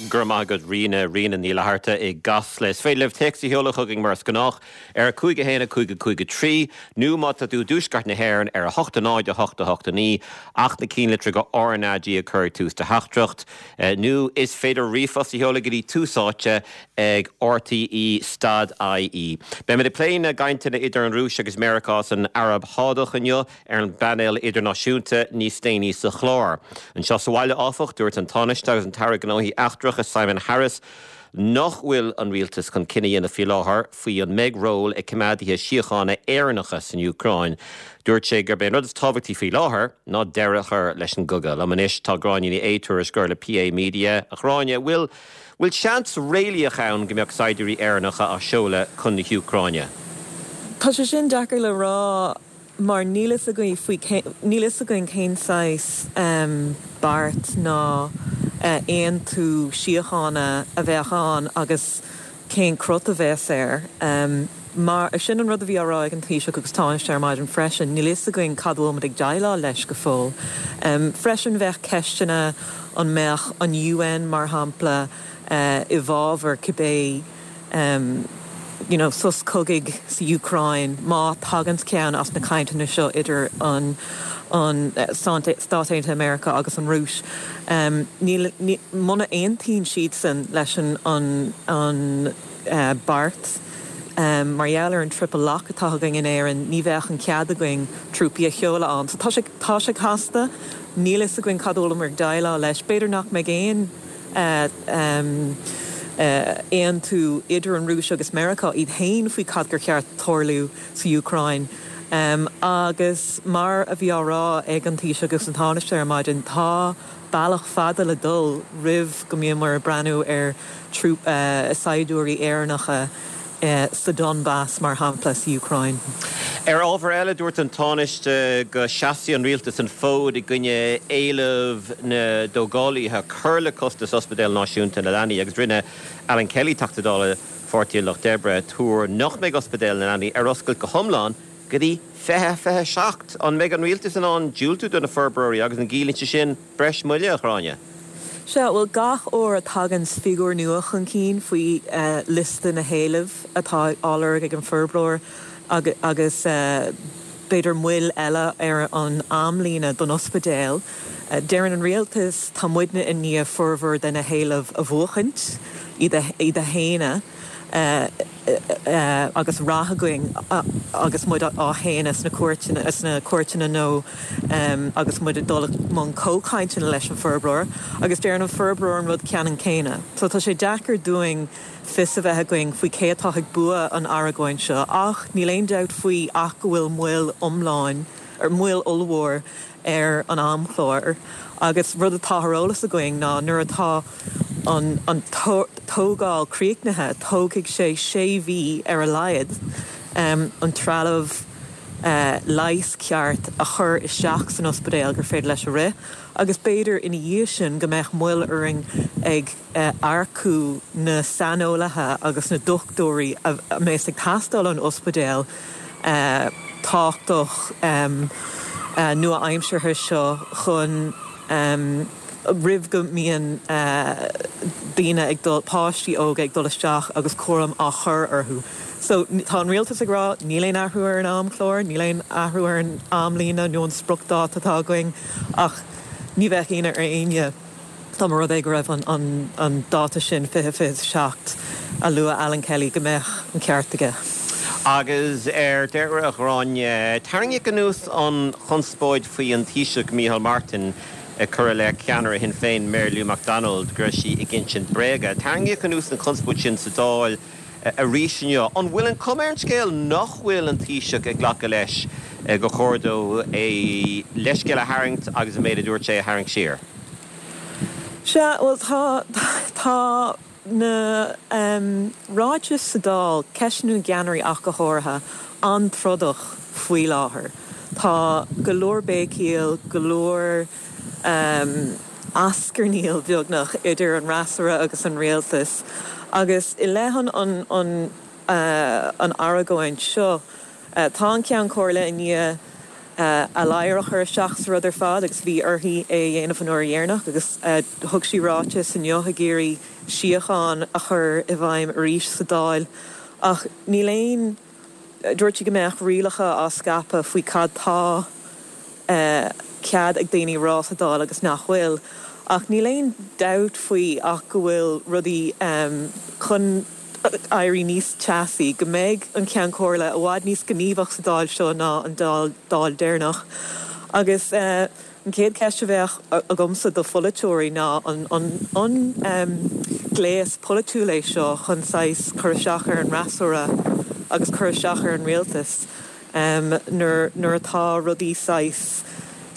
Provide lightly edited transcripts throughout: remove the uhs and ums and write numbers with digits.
Go raibh maith agat Ríona, Ríona Ní Fhlatharta i gCasla. Is féidir libh téacs a sheoladh chugainn mar is gnách ar 5 1 5 5 3 nó má tá tú i dtuaisceart na hÉireann ar 8 0 8 8 9 ach na cinnlitreacha RnaG a chur ag tús do theachtaireacht. Nó is féidir ríomhphost a sheoladh go dtí Tús Áite ag RTÉ stad IE. Beimid ag plé na gcainteanna idir an Rúis agus Meiriceá san Araib Shádach inniu ar an bpainéal idirnáisiúnta níos déanaí sa chlár. Anseo sa bhaile, áfach, dúirt an Tánaiste agus an tAire Gnóthaí Eachtracha Simon Harris nach bhfuil an rialtas chun cinneadh a dhéanamh faoi láthair faoi an mbeidh ról ag coimeádaithe síochána Éireannacha san Úcráin. Dúirt sé gurb é an rud is tábhachtaí faoi láthair ná deireadh a chur leis an gcogadh. Liom anois tá Gráinne Ní Aodha, tuairisceoir le PA Media. A Ghráinne, bhfuil bhfuil seans réalaíoch ann go mbeadh saighdiúirí Éireannacha á seoladh chun na hÚcráine? Tá sé sin deacair le rá mar níl fhios againn faoi níl fhios againn cén saghas beart ná aontú síochána a bheadh ann agus cén crot a bheas air. Mar, sin an rud a bhí á rá ag an Taoiseach agus Tánaiste ar maidin freisin, níl fhios againn cad a bhfuil muid ag déileáil leis go fóill. Freisin bheadh ceisteanna an mbeadh an UN, mar shampla, i bhfabhar cibé you know sos cogaidh sa Úcráin má taganns ceann as na cainteanna seo idir an an Stáit Aontaithe Meiriceá agus an Rúis. Níl, muna aontaíonn siadsan leis an an an beart mar gheall ar an triple lock atá againn in Éirinn, ní bheadh an cead againn trúpaí a sheoladh ann. So tá sé, tá sé casta, níl fhios againn cad a bhfuileamar ag déileáil leis. B'fhéidir nach mbeidh aon aontú idir an Rúis agus Meiriceá iad féin faoi cad gur cheart tarlú sa Úcráin. Agus mar a bhí á rá ag an Taoiseach agus an Tánaiste ar maidin, tá bealach fada le dul roimh go mbíomar ag breathnú ar saighdiúirí Éireannacha sa Donbas, mar shampla, sa Úcráin. Ar ábhar eile, dúirt an Tánaiste go seasfaidh an rialtas an fód i gcoinne éileamh na dtógálaithe cur le costas Ospidéal Náisiúnta na Leanaí agus rinne Alan Kelly, Teachta Dála Pháirtí an Lucht Oibre, tuar nach mbeidh Ospidéal na Leanaí ar oscailt go hiomlán go dtí 2027. An mbeidh an rialtas in ann diúltú do na forbróirí agus an gciallaíonn sé sin breis moille, a Ghráinne? Sea, bhuel, gach uair a taganns figiúr nua chun cinn faoi liosta na héileamh atá á lorg ag an forbróir agus b'fhéidir moill eile ar an amlíne don ospidéal, deireann an rialtas tá muidne i ndiaidh formhór de na héilimh a bhuachaint, iad a shéanadh. agus rath againn agus muid á shéanadh sna cúirteanna, sna cúirteanna nó agus muid ag dul i mbun comhchainteanna leis an forbróir agus deireann an forbróir an rud ceannann céanna. So tá sé deacair dúinn fios a bheith againn faoi cé atá ag bua an argóint seo ach níl aon dabht faoi ach go bhfuil moill iomlán, moill ollmhór ar an amchlár agus rud atá ar eolas againn ná nuair atá an an tógáil críochnaithe tógfaidh sé sé mhí ar a laghad an trealamh leighis ceart a chur isteach san ospidéal gur féidir leis a rith agus b'fhéidir ina dhiaidh sin go mbeadh moill orainn ag earcú na saineolaithe agus na dochtúirí a mbeas ag teastáil ón ospidéal tábhachtach nua-aimseartha seo chun roimh go mbíonn daoine ag dul, páistí óga ag dul isteach agus cúram á chur orthu. So tá an rialtas ag rá níl aon athrú ar an amchlár, níl aon athrú ar an amlíne nó an spriocdháta atá againn ach ní bheadh ionadh ar éinne Dá mba rud é go raibh an dáta sin, 2027, a luaigh Alan Kelly, go mbeadh an ceart aige. Agus ar deireadh, a Ghráinne, tarraingíodh anuas an chonspóid faoi an Taoiseach Micheál Martin ag cur i leith ceannaire Shinn Féin, Mary Lou McDonald, go raibh sí ag insint bréaga. Tarraingíodh anuas an chonspóid sin sa Dáil arís inniu. An bhfuil an chuma ar an scéal nach bhfuil an Taoiseach ag glacadh leis gur chóir dó a leithscéal a tharraingt agus an méid a dúirt sé a tharraingt siar? Sea, bhuel, tá, tá na ráitis sa Dáil, ceisteanna na gceannairí ach go háirithe, an-trodach faoi láthair. Tá go leor béicíl, go leor ascarnaíl, beagnach, idir an fhreasúra agus an rialtas. Agus i leith an, an, an, an argóint seo, tá an Ceann Comhairle i ndiaidh. A ladhar a chur isteach sa rud ar fad agus bhí uirthi é a dhéanamh an uair dheireanach agus thug sí ráiteas inniu ag iarraidh síocháin a chur i bhfeidhm arís sa Dáil ach níl aon, dúirt sí go mbeadh rialacha á scaipeadh faoi cad tá cead ag daoine a rá sa Dáil agus nach bhfuil ach níl aon dabht faoi ach go bhfuil rudaí chun éirí níos teasaí, go mbeidh an Ceann Comhairle i bhfad níos gníomhach sa Dáil seo ná an Dáil deireanach. Agus an chéad cheist a bheadh agamsa do pholaiteoirí ná an an gléas polaitiúil é seo chun saghas cur isteach ar an fhreasúra agus cur isteach ar an rialtas nuair nuair atá rudaí saghas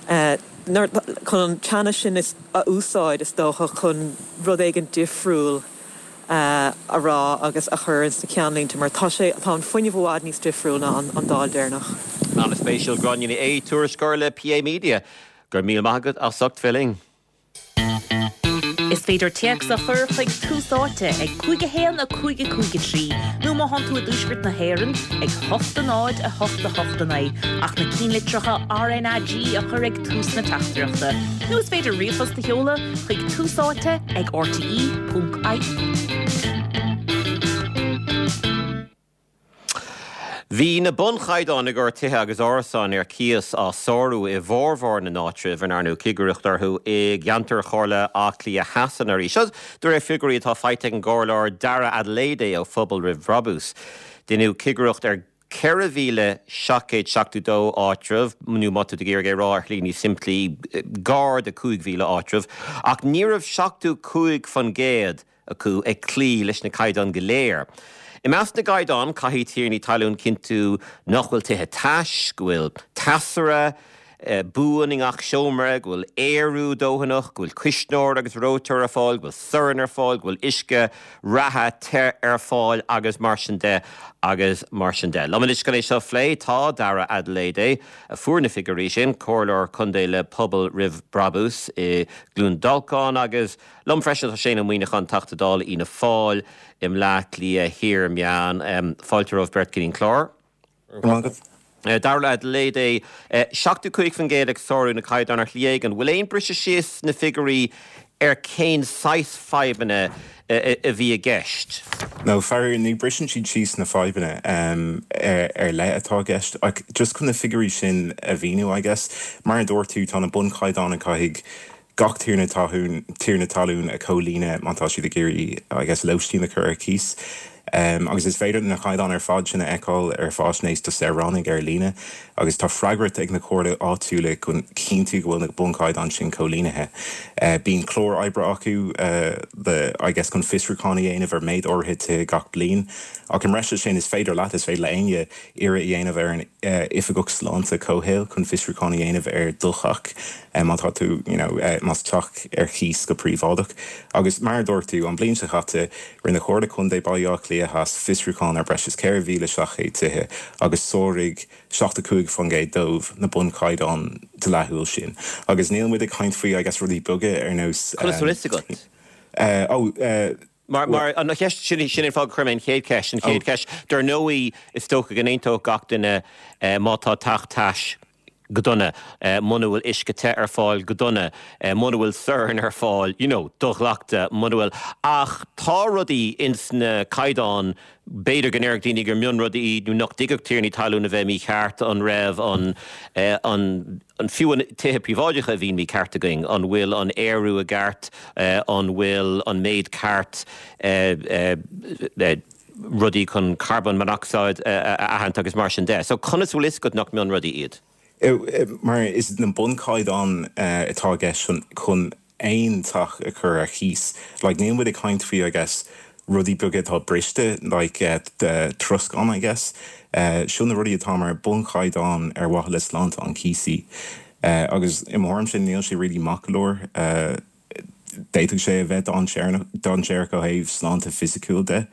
chun an teannas sin a úsáid is dócha chun rud éigin difriúil a rá agus a chur ins na ceannlínte mar tá sé, tá an fuinneamh i bhfad níos difriúil ná an Dáil deireanach. An-spéisiúil, Gráinne Ní Aodha, tuairisceoir le PA Media. Go raibh míle maith agat as ucht bheith linn. Is féidir téacs a chur chuig Tús Áite ag 5 1 5 5 3 nó má thánn tú i dTuaisceart na hÉireann ag 8 0 8 8 9 ach na cinnlitreacha RnaG a chur ag tús na teachtaireachta. Nó is féidir ríomhphost a sheoladh chuig Tús Áite ag rte.ie. Bhí na bunchaighdeáin i gcomhair tithe agus árasáin ar cíos á sárú i bhformhór na n-áitreabh a ndearnadh cigireacht orthu i gceantar Chomhairle Átha Cliath Theas anuraidh. Seo de réir figiúirí atá faighte ag an gComhairleoir Dara Adeleye ó Phobal Roimh Bhrabús. Deineadh cigireacht ar 4,772 áitreabh, nó má tá tú ag iarraidh é a rá ar shlí níos simplí, gar do 5,000 áitreabh, ach ní raibh 75% acu ag cloí leis na caighdeáin go léir. I measc na gcaighdeán, caithfidh tiarnaí talún cinntiú nach bhfuil tithe tais, go bhfuil teasaire, buan i ngach seomra, go bhfuil aerú dóthanach, go bhfuil cuisneoir agus reoiteoir ar fáil, go bhfuil sorn ar fáil, go bhfuil uisce reatha te ar fáil agus mar sin de agus mar sin de. Liom anois chun é seo a phlé tá Dara Adeleye, a fuair na figiúirí sin, Comhairleoir Contae le Pobal Roimh Brabús i gCluain Dolcáin agus liom freisin tá Shane Ó Muíneacháin, Teachta Dála Fhianna Fáil i mBleá Cliath Thiar Meán. Fáilte romhaibh beirt go dtí an clár. Go raibh maith agat. Dara Adeleye, 75% ag sárú na caighdeán ar shlí éigin. Bhfuil aon briseadh síos sna figiúirí ar cén saghas fadhbanna a bhí i gceist? No, faraor, ní briseann siad síos na fadhbanna ar leith atá i gceist. Ach just chun na figiúirí sin a mhíniú, I guess, mar a dúirt tú, tá na bunchaighdeáin a caithfidh gach tiarna talún, tiarna talún a chomhlíonadh má tá siad ag iarraidh, I guess, lóistín a chur ar cíos. Agus is féidir na caighdeáin ar fad sin a fheiceáil ar Fáisnéis do Saoránaigh ar líne agus tá freagracht ag na comhairlí áitiúla chun cinntiú go bhfuil na bunchaighdeáin sin comhlíontha. Bíonn clár oibre acu le, I guess, chun fiosrúchán a dhéanamh ar méid áirithe tithe gach bliain. Ach i mbreis air sin, is féidir leat, is féidir le éinne, iarraidh a dhéanamh ar an Oifigeach Sláinte Comhshaoil chun fiosrúchán a dhéanamh ar do theach má tá tú, you know, más teach ar chíos go príobháideach. Agus mar a dúirt tú, an bhliain seo chaite, rinne Comhairle Contae Baile Átha Cliath Theas fiosrúchán ar breis is 4,700 tithe agus sáraigh 75% dóibh na bunchaighdeáin dleathúil sin. Agus níl muid ag caint faoi, I guess, rudaí beaga ar nós. Conas a bhfuil fhios agat? Oh, eh. Mar, mar, an cheist, sin, sin an fáth gur chuir mé an chéad cheist, an chéad cheist, dar ndóigh, is dócha go n-aontódh gach duine má tá teach tais go dona, muna bhfuil uisce te ar fáil go dona, muna bhfuil sorn ar fáil, you know, do-ghlactha, muna bhfuil, ach tá rudaí ins na caighdeáin, b'fhéidir go ndéarfadh daoine gur mionrudaí iad nó nach dtuigfeadh tiarnaí talún a bheith mícheart, an raibh an, an. an fiú an tithe príobháideacha a bhíonn mícheart againn, an bhfuil an aerú i gceart, an bhfuil an méid ceart rudaí chun carbon monocsáid a aithint agus mar sin de. So conas a bhfuil fhios agat nach mionrudaí iad? Mar is na bunchaighdeáin atá i gceist chun aon teach a chur ar cíos. Like, níl muid ag caint faoi, I guess, rudaí beaga atá briste, like troscán, I guess. Seo na rudaí atá mar bunchaighdeán ar mhaithe le sláinte an chíosaí. Agus i mo thuairimse níl sé really maith go leor. D'fhéadfadh sé a bheith dainséarach ó thaobh sláinte fisiciúil de.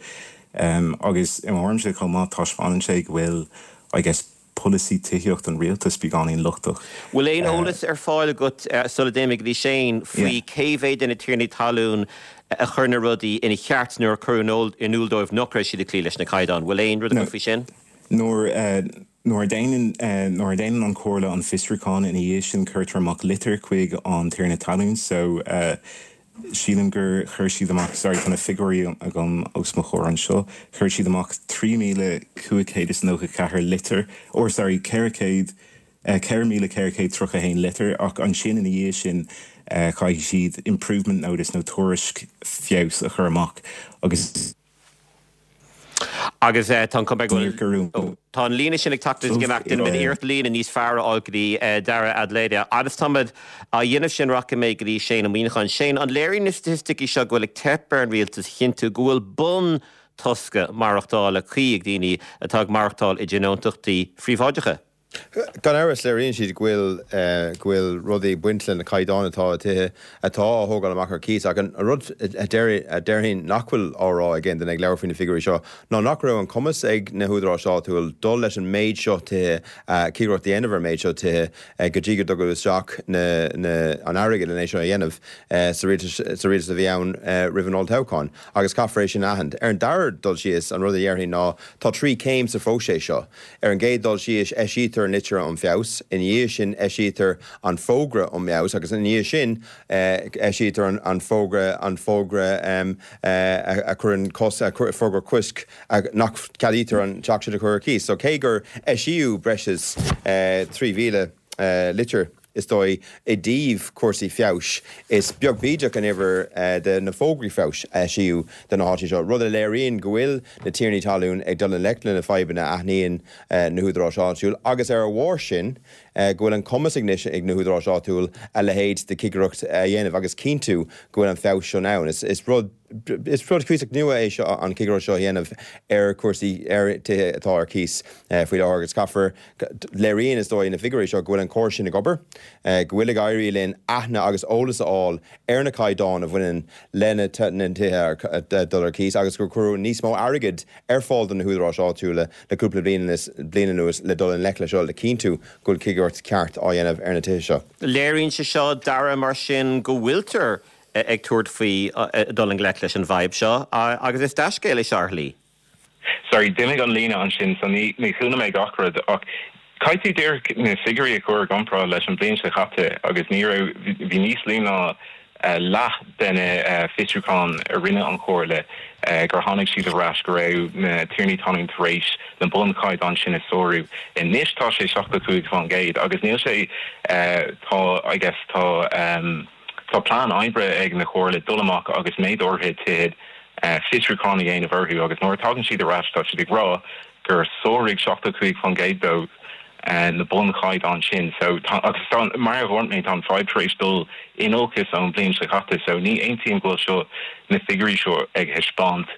Agus i mo thuairimse chomh maith taispeánann sé go bhfuil, I guess, polasaí tithíochta an rialtais beagáinín lochtach. Bhfuil aon eolas ar fáil agat, sula dtéimid go dtí Shane, faoi cé mhéad de na tiarnaí talún a chuir na rudaí ina cheart nuair a cuireadh in iúl dóibh nach raibh siad ag cloí leis na caighdeáin? Bhfuil aon rud agat faoi sin? Nuair. Nuair a déanann, nuair a déanann an Chomhairle an fiosrúchán ina dhiaidh sin cuirtear amach litir chuig an tiarna talún so sílim gur chuir siad amach, sorry tá na figiúirí agam os mo chomhair anseo, chuir siad amach 3,594 litir, or sorry 400, 4,431 litir ach ansin ina dhiaidh sin caithfidh siad improvement notice nó tuairisc feabhais a chur amach agus. Agus tá an chuma go bhfuil tá an líne sin ag teacht is ag imeacht, déanfaimid iarracht líne níos fearr a fháil go dtí Dara Adelaide. Agus táimid á dhéanamh sin rachaidh mé go dtí Shane Ó Muíneacháin. Shane, an léiríonn na staitisticí seo go bhfuil ag teip ar an rialtas a chinntiú go bhfuil bun tosca maireachtála cuí ag daoine atá ag maireachtáil i dtionóntachtaí phríobháideacha? Gan amhras, léiríonn siad go bhfuil go bhfuil rudaí ag baint le na caighdeáin atá i tithe atá á thógáil amach ar cíos. Ach an rud a déarfainn nach bhfuil á rá ag aon duine ag labhairt faoi na figiúirí seo ná nach raibh an cumas ag na húdaráis áitiúil dul leis an méid seo tithe, cigireacht a dhéanamh ar an méid seo tithe go dtí go dtugadh isteach na na an airgead len é seo a dhéanamh sa rialtas sa rialtas a bhí ann roimh an olltoghchán. Agus caithfear é sin a aithint. Ar an dara dul síos, an rud a dhéarfainn ná tá trí chéim sa phróiseas seo. Ar an gcéad dul síos, eisítear an litir um feabhas, ina dhiaidh sin eisítear an fógra um fheabhas agus ina dhiaidh sin eisítear an fógra, an fógra a chuireann cos, fógra coisc nach gceadaítear an teach sin a chur ar cíos. So cé gur eisíodh breis is 3,000 litir, Is dóigh, i dtaobh cúrsaí feabhais, is beag bídeach an uimhir de na fógraí feabhais a eisíodh do na háiteanna seo, rud a léiríonn go bhfuil na tiarnaí talún ag dul i ngleic le na fadhbanna a aithníonn na húdaráis áitiúil agus ar a bharr sin, go bhfuil an cumas anois ag na húdaráis áitiúil a leithéid de chigireacht a dhéanamh agus cinntiú go bhfuil an feabhas sin ann. Is rud. Is rud cuíosach nua é seo, an chigireacht seo a dhéanamh ar chúrsaí, ar tithe atá ar cíos faoi láthair agus caithfear, léiríonn is dóigh na figiúirí seo go bhfuil an córas sin ag obair, go bhfuil ag éirí linn aithne agus eolas a fháil ar na caighdeáin a bhaineann le na tithe ar dul ar cíos agus gur cuireadh níos mó airgid ar fáil do na húdaráis áitiúla le cúpla bliain anuas le dul i ngleic le seo le cinntiú go bhfuil cigireacht ceart á dhéanamh ar na tithe seo. Léiríonn sé seo, Dara, mar sin, go bhfuiltear ag tabhairt faoi dul i ngleic leis an bhfadhb seo agus is dea-scéal é seo ar shlí. Sorry, d'imigh an líne ansin so ní chuala mé gach rud ach caithfidh tú díreach na figiúirí a chur i gcomparáid leis an bhliain seo chaite agus ní raibh, bhí níos lú ná leath de na fiosrúcháin a rinne an Chomhairle gur tháinig siad ar ais go raibh na tiarnaí talún tar éis na bunchaighdeáin sin a sárú. Anois tá sé 75% agus níl sé, tá, I guess, tá. Tá plean oibre ag na Comhairle dul amach agus méid áirithe tithe fiosrúchán a dhéanamh orthu agus nuair a tagann siad ar ais tá siad ag rá gur sáraigh 75% dóibh na bunchaighdeáin sin. So tá agus tá mar a dhúirt mé tá an fadhb tar éis dul in olcas ón bhliain seo caite so ní aontaím go bhfuil seo na figiúirí seo ag thaispeáint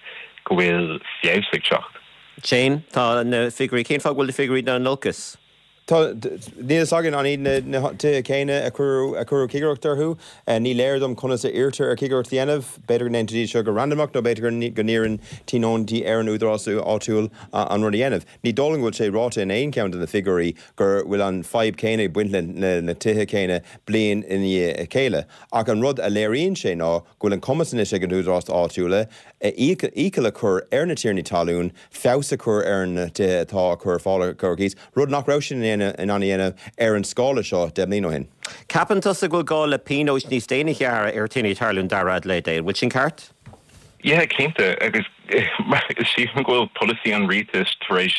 go bhfuil feabhas ag teacht. Shane, tá na figiúirí, cén fáth go bhfuil na figiúirí ag dul in olcas? Tá, níl a fhios againn an iad na tithe céanna a cuireadh a cuireadh cigireacht orthu. Ní léir dom conas a iarrtar ar chigireacht a dhéanamh. B'fhéidir go ndéantar iad seo go randamach nó b'fhéidir go n-iarrann tionóntaí ar an údarás áitiúil an rud a dhéanamh. Ní dóigh liom go bhfuil sé ráite in aon cheann de na figiúirí go bhfuil an fadhb chéanna ag baint le na tithe céanna bliain i ndiaidh a chéile. Ach an rud a léiríonn sé ná go bhfuil an cumas anois ag na húdaráis áitiúla iachall a chur ar na tiarnaí talún feabhas a chur ar na tithe atá á cur ar fáil ar cíos, rud nach raibh siad in ann a dhéanamh ar an scála seo 10 mbliana ó shin. Ceapann tusa go bhfuil gá le pionóis níos déine a ghearradh ar thiarnaí talún Dara Adelaide, an bhfuil sin ceart? Yeah, cinnte, agus sílim go bhfuil polasaí an rialtais tar éis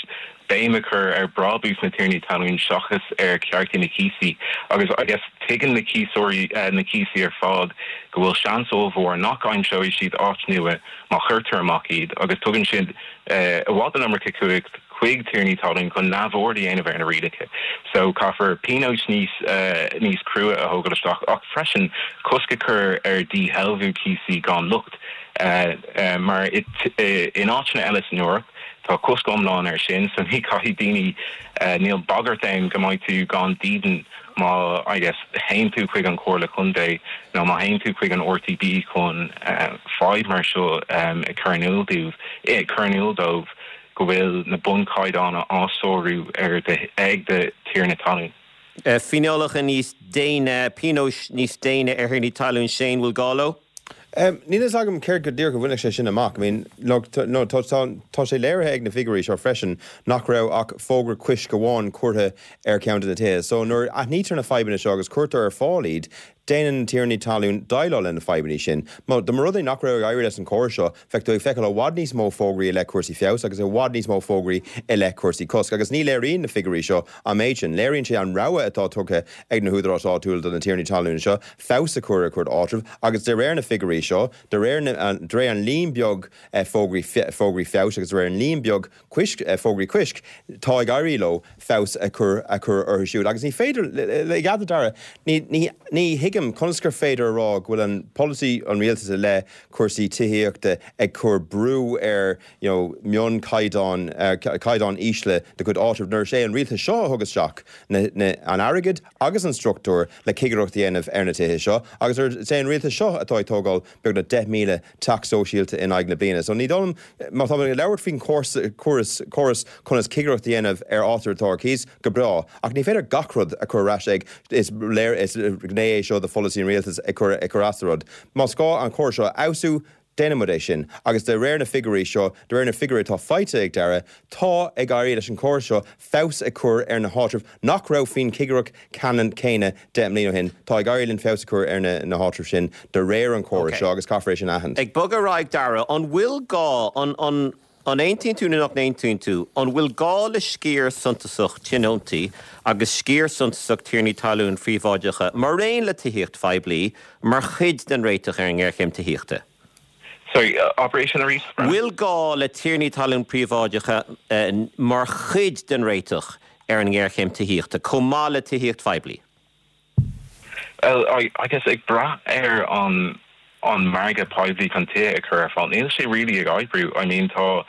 béim a chur ar bhrabús na tiarnaí talún seachas ar chearta na cíosaí agus I guess tuigeann na cíosóirí, na cíosaí ar fad go bhfuil seans ollmhór nach aimseoidh siad áit nua má chuirtear amach iad, agus tugann siad i bhfad an iomarca cumhacht chuig tiarnaí talún chun neamhaird a dhéanamh ar na rialacha. So caithfear pionóis níos níos crua a thógáil isteach ach freisin cosc a chur ar dhíshealbhú cíosaí gan locht mar in áiteanna eile san Eoraip tá cosc iomlán air sin so ní caithfidh daoine níl bagairt ann go mbeidh tú gan dídean Má, I guess, théann tú chuig an Chomhairle Contae nó má théann tú chuig an RTB chun fadhb mar seo a chur in iúl dóibh, cur in iúl dóibh go bhfuil na bunchaighdeáin á sárú ar do, ag do thiarna talún. Fíneálacha níos déine, pionóis níos déine ar thiarnaí talún, Shane, bhfuil gá leo? Níl a fhios agam céard go díreach a bhainfeadh sé sin amach. I mean, look, no, tá, tá, tá sé léirithe ag na figiúirí seo freisin nach raibh ach fógra coisc amháin curtha ar cheann de na tithe. So nuair a aithnítear na fadhbanna seo agus cuirtear ar fáil iad, déanann na tiarnaí talún déileáil le na fadhbanna sin. Má, dá mba rud é nach raibh ag éirí leis an chóras seo, bheadh tú ag feiceáil i bhfad níos mó fógraí i leith cúrsaí feabhais agus i bhfad níos mó fógraí i leith cúrsaí cosc. Agus ní léiríonn na figiúirí seo an méid sin. Léiríonn sé an rogha atá tugtha ag na húdaráis áitiúla do na tiarnaí talún seo feabhas a chur ar a gcuid áitreabh agus de réir na figiúirí seo, de réir na, de réir an líon beag fógraí, fógraí feabhais agus de réir an líon beag coisc, fógraí coisc, tá ag éirí leo feabhas a chur, a chur orthu siúd. Agus ní féidir, le cead Dara, ní, ní, ní thuigim conas gur féidir a rá go bhfuil an polasaí an rialtais i leith cúrsaí tithíochta ag cur brú ar, you know, mionchaighdeáin, caighdeáin ísle de chuid áitreabh nuair is é an rialtas seo a thug isteach na, na, an airgead agus an struchtúr le cigireacht a dhéanamh ar na tithe seo agus is é an rialtas seo atá ag tógáil beagnach 10,000 teach sóisialta in aghaidh na bliana. So ní dóigh liom, má tá muid ag labhairt faoin chóras, córas conas cigireacht a dhéanamh ar áitreabh atá ar cíos, go breá, ach ní féidir gach rud a chur ar ais ag, is léir, is gné é seo de pholasaí an rialtais ag cur, ag cur as do rud. Más gá an córas seo a fheabhsú, Déanfaidh muid é sin. Agus de réir na figiúirí seo, de réir na figiúirí atá faighte ag Dara, tá ag éirí leis an chóras seo feabhas a chur ar na háitribh nach raibh faoin chigireacht ceannann céanna 10 mbliana ó shin. Tá ag éirí linn feabhas a chur ar na háitribh sin de réir an chórais seo agus caithfear é sin a aithint. Ag bogadh ar aghaidh, Dara, an bhfuil gá, an, an, an aontaíonn tú nó nach n-aontaíonn tú, an bhfuil gá le sciar suntasach tionóntaí agus sciar suntasach tiarnaí talún phríobháideacha, maraon le tithíocht phoiblí, mar chuid den réiteach ar an ngéarchéim tithíochta? Sorry, abair é sin arís, Brendan. Bhfuil gá le tiarnaí talún príobháideacha mar chuid den réiteach ar an ngéarchéim tithíochta, chomh maith le tithíocht phoiblí? Well, I guess ag brath ar an an margadh poiblí chun tithe a chur ar fáil, níl sé really ag oibriú. I mean tá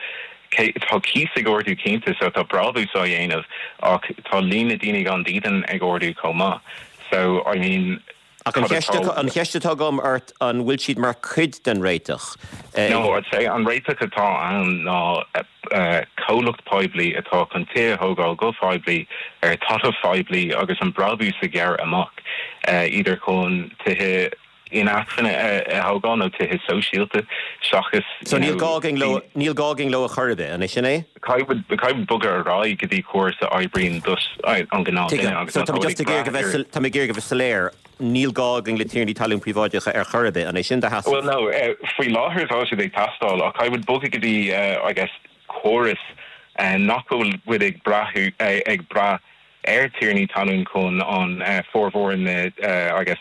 tá cíos ag ardú cinnte so tá brabús á dhéanamh ach tá líon na daoine gan dídean ag ardú chomh maith. So I mean Ach an cheist, an cheist atá agam ort, an bhfuil siad mar chuid den réiteach? No, I'd say an réiteach atá ann ná comhlacht poiblí atá chun tithe a thógáil go poiblí ar talamh phoiblí agus an brabús a ghearradh amach, idir chun tithe inacmhainne a thógáil nó tithe sóisialta seachas So níl gá againn leo, níl gá againn leo a chor ar bith, an é sin é? Caithfidh muid bogadh ar aghaidh go dtí córas a oibríonn dos an gnáth duine agus So tá mé just ag iarraidh a bheith, tá mé ag iarraidh a bheith soiléir, níl gá againn le tiarnaí talún príobháideacha ar chor ar bith, an é sin do sheasamh? Well no, faoi láthair tá siad ag teastáil ach caithfidh muid bogadh go dtí I guess córas nach bhfuil muid ag brath ag brath ar tiarnaí talún chun an formhór na I guess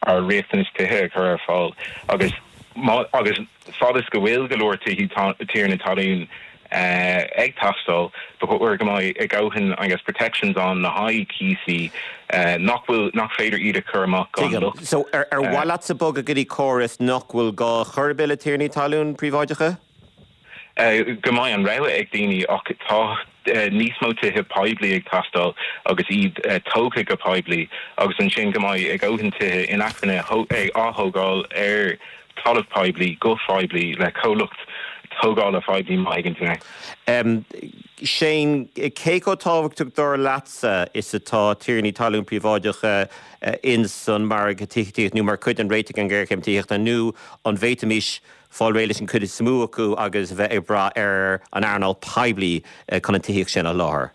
ár riachtanais tithe a chur ar fáil agus má agus fad is go bhfuil go leor tithí tiarna talún ag teastáil, ba chóir go mbeidh a ndóthain I guess protections ann le haghaidh cíosaí nach bhfuil nach féidir iad a chur amach gan Tuigim. locht. So ar ar mhaith leatsa bogadh go dtí córas nach bhfuil gá chor ar bith le tiarnaí talún príobháideacha? Go mbeidh an rogha ag daoine ach tá níos mó tithe poiblí ag teastáil agus iad tógtha go poiblí agus ansin go mbeidh a ndóthain tithe inacmhainne á thógáil ar talamh poiblí go poiblí le comhlacht tógála phoiblí má thuigeann tú mé. Shane, cé chomh tábhachtach dar leatsa is atá tiarnaí talún príobháideacha ins an margadh tithíochta nó mar chuid den réiteach ar an ngéarchéim tithíochta nó an bhféadfaimis fáil réidh leis an chuid is mó acu agus a bheith ag brath ar an earnáil poiblí chun an tithíocht sin a sholáthar.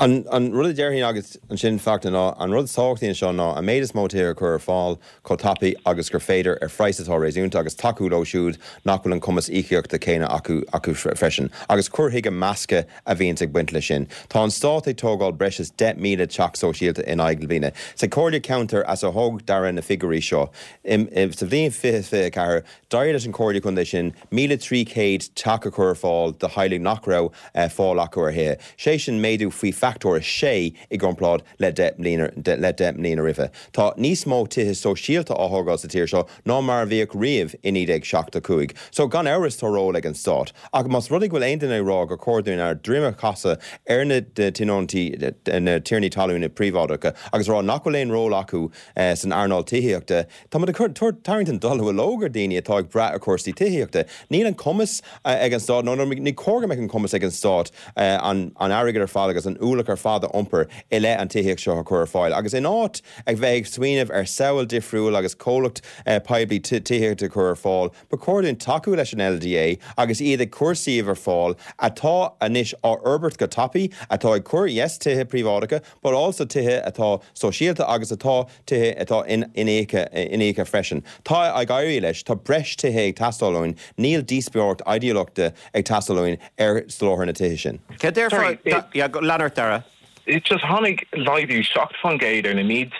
An rud a déarfainn agus ansin Fachtna ná an rud is tábhachtaí anseo ná an méid is mó tithe a chur ar fáil chomh tapaidh agus gur féidir ar phraghas atá réasúnta agus tacú leo siúd nach bhfuil an cumas íocaíochta céanna acu acu freisin agus cur chuige measctha a bhíonns ag baint leis sin. Tá an stát ag tógáil breis is 10,000 teach sóisialta in aghaidh na bliana. Sa chomhairle ceantair as a thóg Dara na figiúirí seo, Sa bhliain 2024, d'éirigh leis an Chomhairle Contae sin 1,300 teach a chur ar fáil do theaghlaigh nach raibh fáil acu ar thithe, sé sin méadú faoi fachtóir 6 i gcomparáid le 10 mbliana roimhe. Tá níos mó tithe sóisialta á thógáil sa tír seo ná mar a bhíodh riamh i 1975. So, gan amhras tá ról ag an Stát. Ach más rud é go bhfuil aon duine ag rá gur chóir dúinn ár droim a chasadh ar na tionóntaí, na tiarnaí talún príobháideacha agus a rá nach bhfuil aon ról acu, San earnáil tithíochta, tá muid ag cur, tarraingt an dallamullóg ar dhaoine atá ag brath ar chúrsaí tithíochta. Níl an cumas ag an Stát, nó ní cóir go mbeadh an cumas ag an Stát an airgead ar fad agus an ualach. ualach ar fad a iompar i leith an tithíocht seo a chur ar fáil. Agus in áit a bheith ag smaoineamh ar samhail difriúil agus comhlacht poiblí tithíochta a chur ar fáil, ba chóir dúinn tacú leis an LDA agus iad ag cur suíomh ar fáil atá anois á fhorbairt go tapaidh, atá ag cur, yes, tithe príobháideacha, but also tithe atá sóisialta agus atá tithe atá iníoctha freisin. Tá ag éirí leis, tá breis tithe ag teastáil uainn, níl díospóireacht idéalachta ag teastáil uainn ar soláthar na tithe sin. Céard a déarfá, yeah, lean ort, Dara. Just tháinig laghdú 7% ar na méid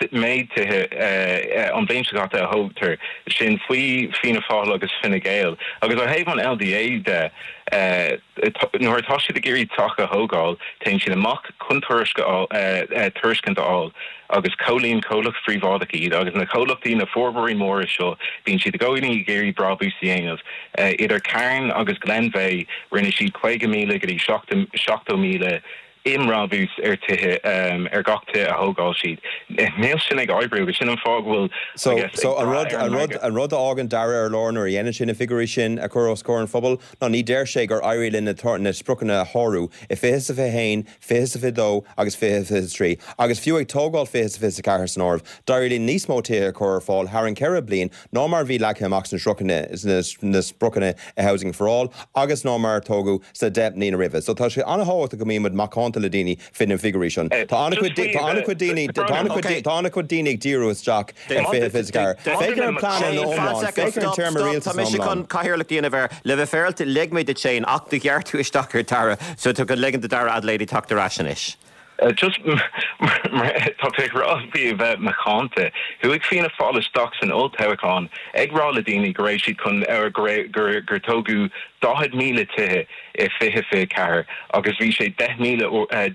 tithe an bhliain seo caite a thógtar, sin faoi Fianna Fáil agus Fine Gael. Agus ó thaobh an LDA de, Nuair atá siad ag iarraidh teach a thógáil, téann siad amach chun tairiscint a fháil agus comhlíon comhlacht phríobháideach iad agus na comhlachtaí, na forbróirí móra seo, bíonn siad i gcónaí ag iarraidh brabús a dhéanamh. Idir Carn agus Glenveagh, rinne siad 50,000 go dtí 70,000 i mbrabús ar tithe, ar gach tithe a thógáil siad. Níl sin ag oibriú agus sin an fáth go bhfuil, I guess, So, ag an brath rud, ar an an rud, margadh. an rud a fhágann Dara ar lár nuair a dhéanann sé na figiúirí sin a chur os comhair an phobail ná ní deir sé gur éirigh linn na, na spriocanna a shárú i 20 is 21, 20 is 22 agus 20 is 23. Agus fiú ag tógáil 20 is 24 san áireamh, d'éirigh linn níos mó tithe a chur ar fáil thar an cheithre bliain ná mar a bhí leagtha amach sna sna spriocanna i Housing for All agus ná mar a tógadh sna 10 mbliana roimhe. So tá sé an-thábhachtach go mbíonn muid macánta le daoine fé na figiúirí sin. Tá an-chuid tá an-chuid daoine tá an-chuid tá an-chuid daoine ag díriú isteach ar 2024. Féach ar an plean ina iomlán, féach ar an téarma rialtais Tá mise chun cathaoirleacht a dhéanamh air. Le bheith féaráilte, lig mé duit Shane ach do ghearr tú isteach ar Dara so tá chun ligean do Dara Adelaide teacht ar ais anois. Just mar tá tú ag rá faoi a bheith macánta, chuaigh Fianna Fáil isteach san olltoghchán ag rá le daoine go raibh siad chun, go raibh, gur, gur tógadh 40,000 tithe i 2024 agus bhí sé 10,000,